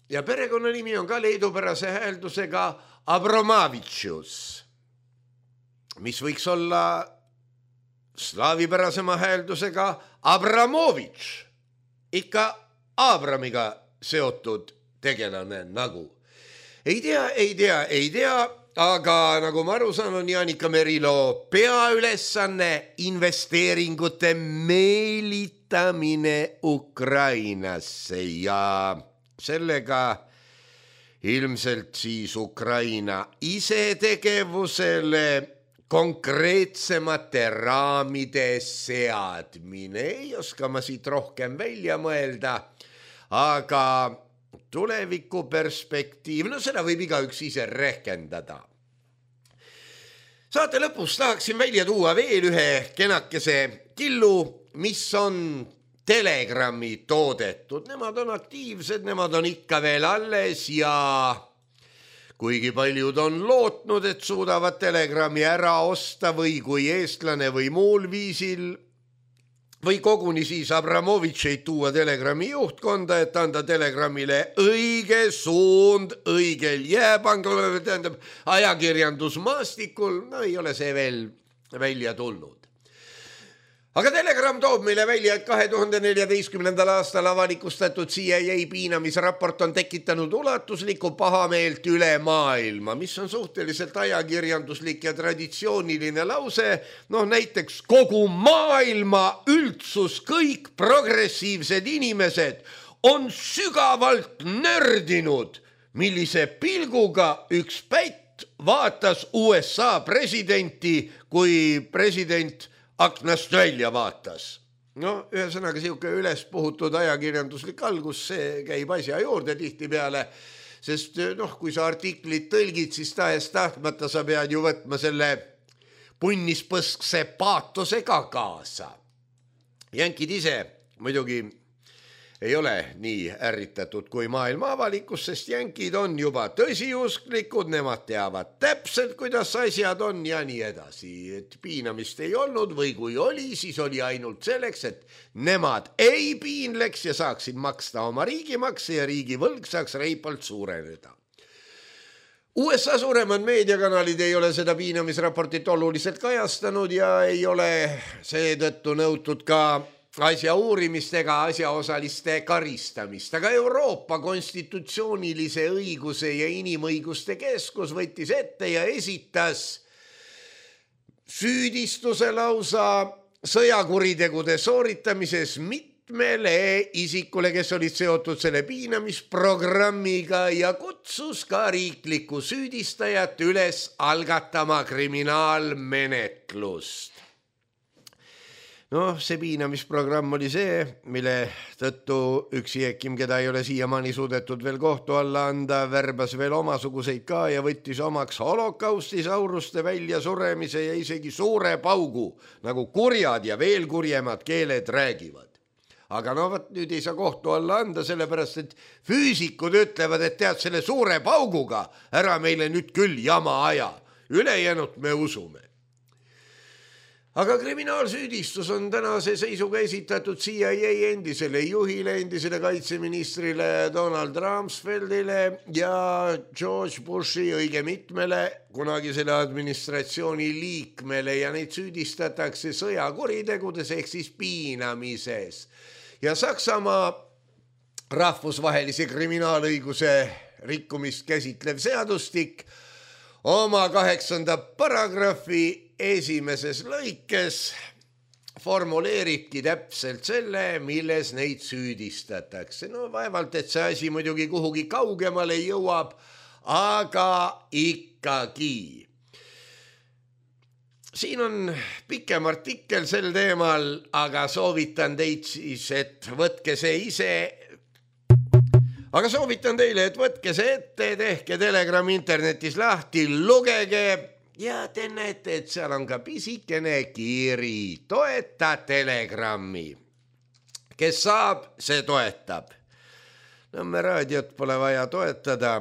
ja perekonnanimi on ka leedupärase hääldusega Abramavitšus, mis võiks olla slaavipärasema hääldusega Abramovitš, ikka Abramiga seotud tegelane nagu. Ei tea, ei tea, ei tea, aga nagu ma aru saan, on Jaanika Merilo peaülesanne investeeringute meelitamine Ukrainasse ja sellega ilmselt siis Ukraina isetegevusele konkreetsemate raamide seadmine. Ei oska ma siit rohkem välja mõelda, aga tuleviku perspektiiv, no seda võib igaüks ise rehkendada. Saate lõpus tahaksin välja tuua veel ühe kenakese killu, mis on Telegrami toodetud. Nemad on aktiivsed, nemad on ikka veel alles ja kuigi paljud on lootnud, et suudavad Telegrami ära osta või kui eestlane või muul viisil või koguni siis Abramovitšeid tuua Telegrami juhtkonda, et anda Telegramile õige suund õigel jääpangul, tähendab ajakirjandusmaastikul, no ei ole see veel välja tulnud. Aga Telegram toob meile välja, et kahe tuhande neljateistkümnendal aastal avalikustatud C I A piinamisraport on tekitanud ulatuslikku pahameelt üle maailma, mis on suhteliselt ajakirjanduslik ja traditsiooniline lause. Noh, näiteks kogu maailma üldsus, kõik progressiivsed inimesed on sügavalt nördinud, millise pilguga üks pätt vaatas U S A presidenti, kui president aknast välja vaatas. No, ühesõnaga siuke üles puhutud ajakirjanduslik algus, see käib asja juurde tihtipeale, sest noh, kui sa artiklit tõlgid, siis tahes tahtmata sa pead ju võtma selle punnispõskse paatosega kaasa. Jänkid ise muidugi ei ole nii ärritatud kui maailma avalikkus, sest jänkid on juba tõsiusklikud, nemad teavad täpselt, kuidas asjad on ja nii edasi. Et piinamist ei olnud või kui oli, siis oli ainult selleks, et nemad ei piinleks ja saaksid maksta oma riigimakse ja riigivõlg saaks reipalt suureneda. U S A suuremad meediakanalid ei ole seda piinamisraportit oluliselt kajastanud ja ei ole seetõttu nõutud ka asja uurimist ega asjaosaliste karistamist, aga Euroopa konstitutsioonilise õiguse ja inimõiguste keskus võttis ette ja esitas süüdistuse lausa sõjakuritegude sooritamises mitmele isikule, kes olid seotud selle piinamisprogrammiga ja kutsus ka riiklikku süüdistajat üles algatama kriminaalmenetlust. Noh, see piinamisprogramm oli see, mille tõttu üks jeekim, keda ei ole siiamaani suudetud veel kohtu alla anda, värbas veel omasuguseid ka ja võttis omaks holokausti sauruste välja suremise ja isegi suure paugu, nagu kurjad ja veel kurjemad keeled räägivad. aga no võt nüüd ei saa kohtu alla anda, sellepärast et füüsikud ütlevad, et tead selle suure pauguga ära meile nüüd küll jama aja, ülejäänud me usume. Aga kriminaalsüüdistus on tänase seisuga esitatud C I A endisele juhile, endisele kaitseministrile Donald Rumsfeldile ja George Bushi õige mitmele kunagisele administratsiooni liikmele ja neid süüdistatakse sõjakuritegudes ehk siis piinamises. Ja Saksamaa rahvusvahelise kriminaalõiguse rikkumist käsitlev seadustik oma kaheksanda paragrahvi esimeses lõikes formuleeribki täpselt selle, milles neid süüdistatakse. No vaevalt, et see asi muidugi kuhugi kaugemale jõuab, aga ikkagi. Siin on pikem artikkel sel teemal, aga soovitan teid siis, et võtke see ise Aga soovitan teile, et võtke see ette, tehke Telegram internetis lahti, lugege ja te näete, et seal on ka pisikene kiri. Toeta Telegrami. Kes saab, see toetab. Nõmme raadiot pole vaja toetada.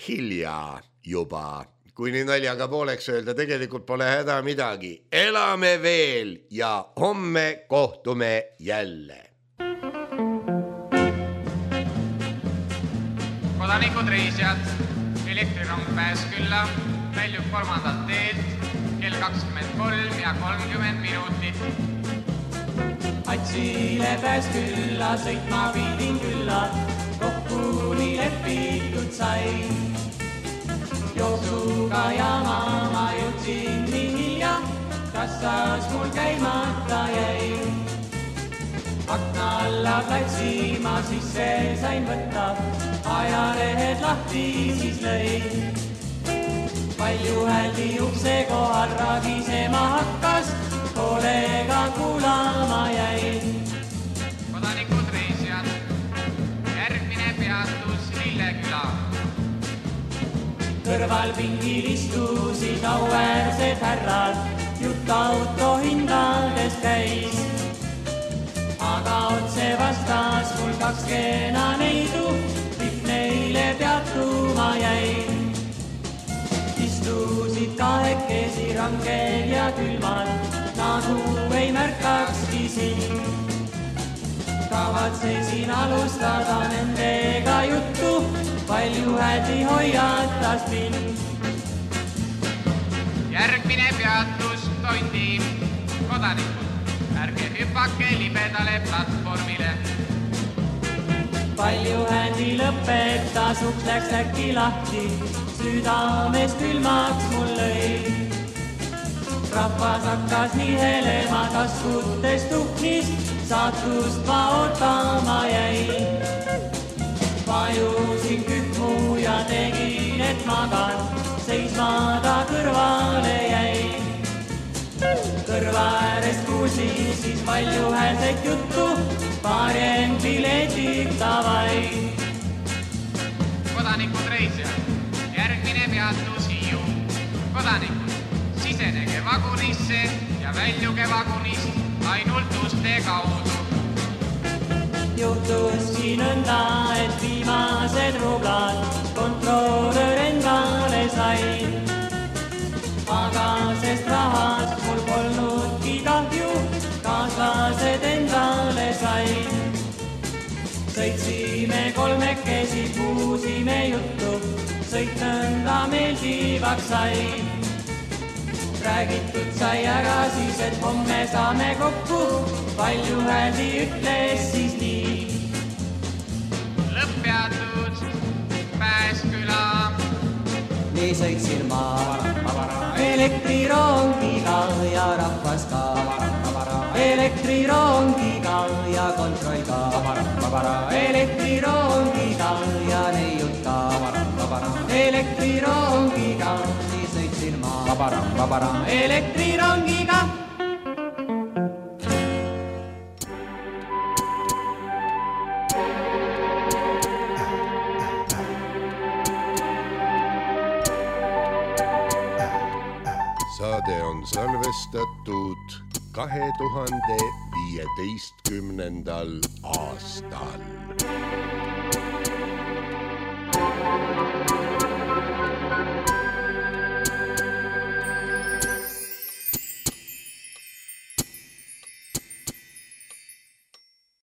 Hilja juba. Kui nii naljaga pooleks öelda, tegelikult pole häda midagi. Elame veel ja homme kohtume jälle. Kodanikud reisijad, elektrirong pääs külla, väljub kolmandat teed, kell kakskümmend kolm ja kolmkümmend minutit. Atsile pääs külla, sõitma pidin külla, kokku nii lepitud sai. Jooksuga ja maama jõudsin nii hilja, kassas mul käimata jäi. Akna alla platsi ma sisse sain võtta, ajalehed lahti siis lõi. Palju hääldi ukse kohal ragisema hakkas, kollega kuulama jäi. Kodanikud reisijad, järgmine peatus Lilleküla. Kõrval pingil istusid auäärsed härrad, jutt auto hindades käis. Aga otse vastas mul kaks kena neidu, kõik neile peatuma jäi. Istusid kahekesi rangel ja külmal, nagu ei märkakski siin. Kavatsesin alustada nendega juttu, palju hädi hoiatas mind. Järgmine peatus Tondi, kodanikud. Ärge hüppake libedale platvormile. Palju händi lõpetas, uks läks äkki lahti, südames külmaks mul lõi. Rahvas hakkas nihelema, taskutes tuhnis, saatust ma ootama jäi. Vajusin kühmu ja tegin, et magan, seisma ta kõrvale jäi. Kõrva äärest kuulsin siis palju häälset juttu, paarien piletid tavai. Kodanikud reisijad, järgmine peatus Hiiu. Kodanikud, sisenege vagunisse ja väljuge vagunist ainult uste kaudu. Juhtus siin nõnda, et viimased rublad kontrolör endale sai. Aga sest rahast mul polnudki kahju, kaaslased endale sai. Sõitsime kolmekesi, puusime juttu, sõit nõnda meeldivaks sai. Räägitud sai ära siis, et homme saame kokku, palju hääldi ütles siis nii. Lõpppeatud Pääsküla. Nii sõitsin ma elektrirongiga ja rahvas ka. Elektrirongiga ja kontroll ka. Elektrirongiga ja neiud ka. Elektrirongiga, nii sõitsin ma elektrirongiga. Saade on salvestatud kahe tuhande viieteistkümnendal aastal.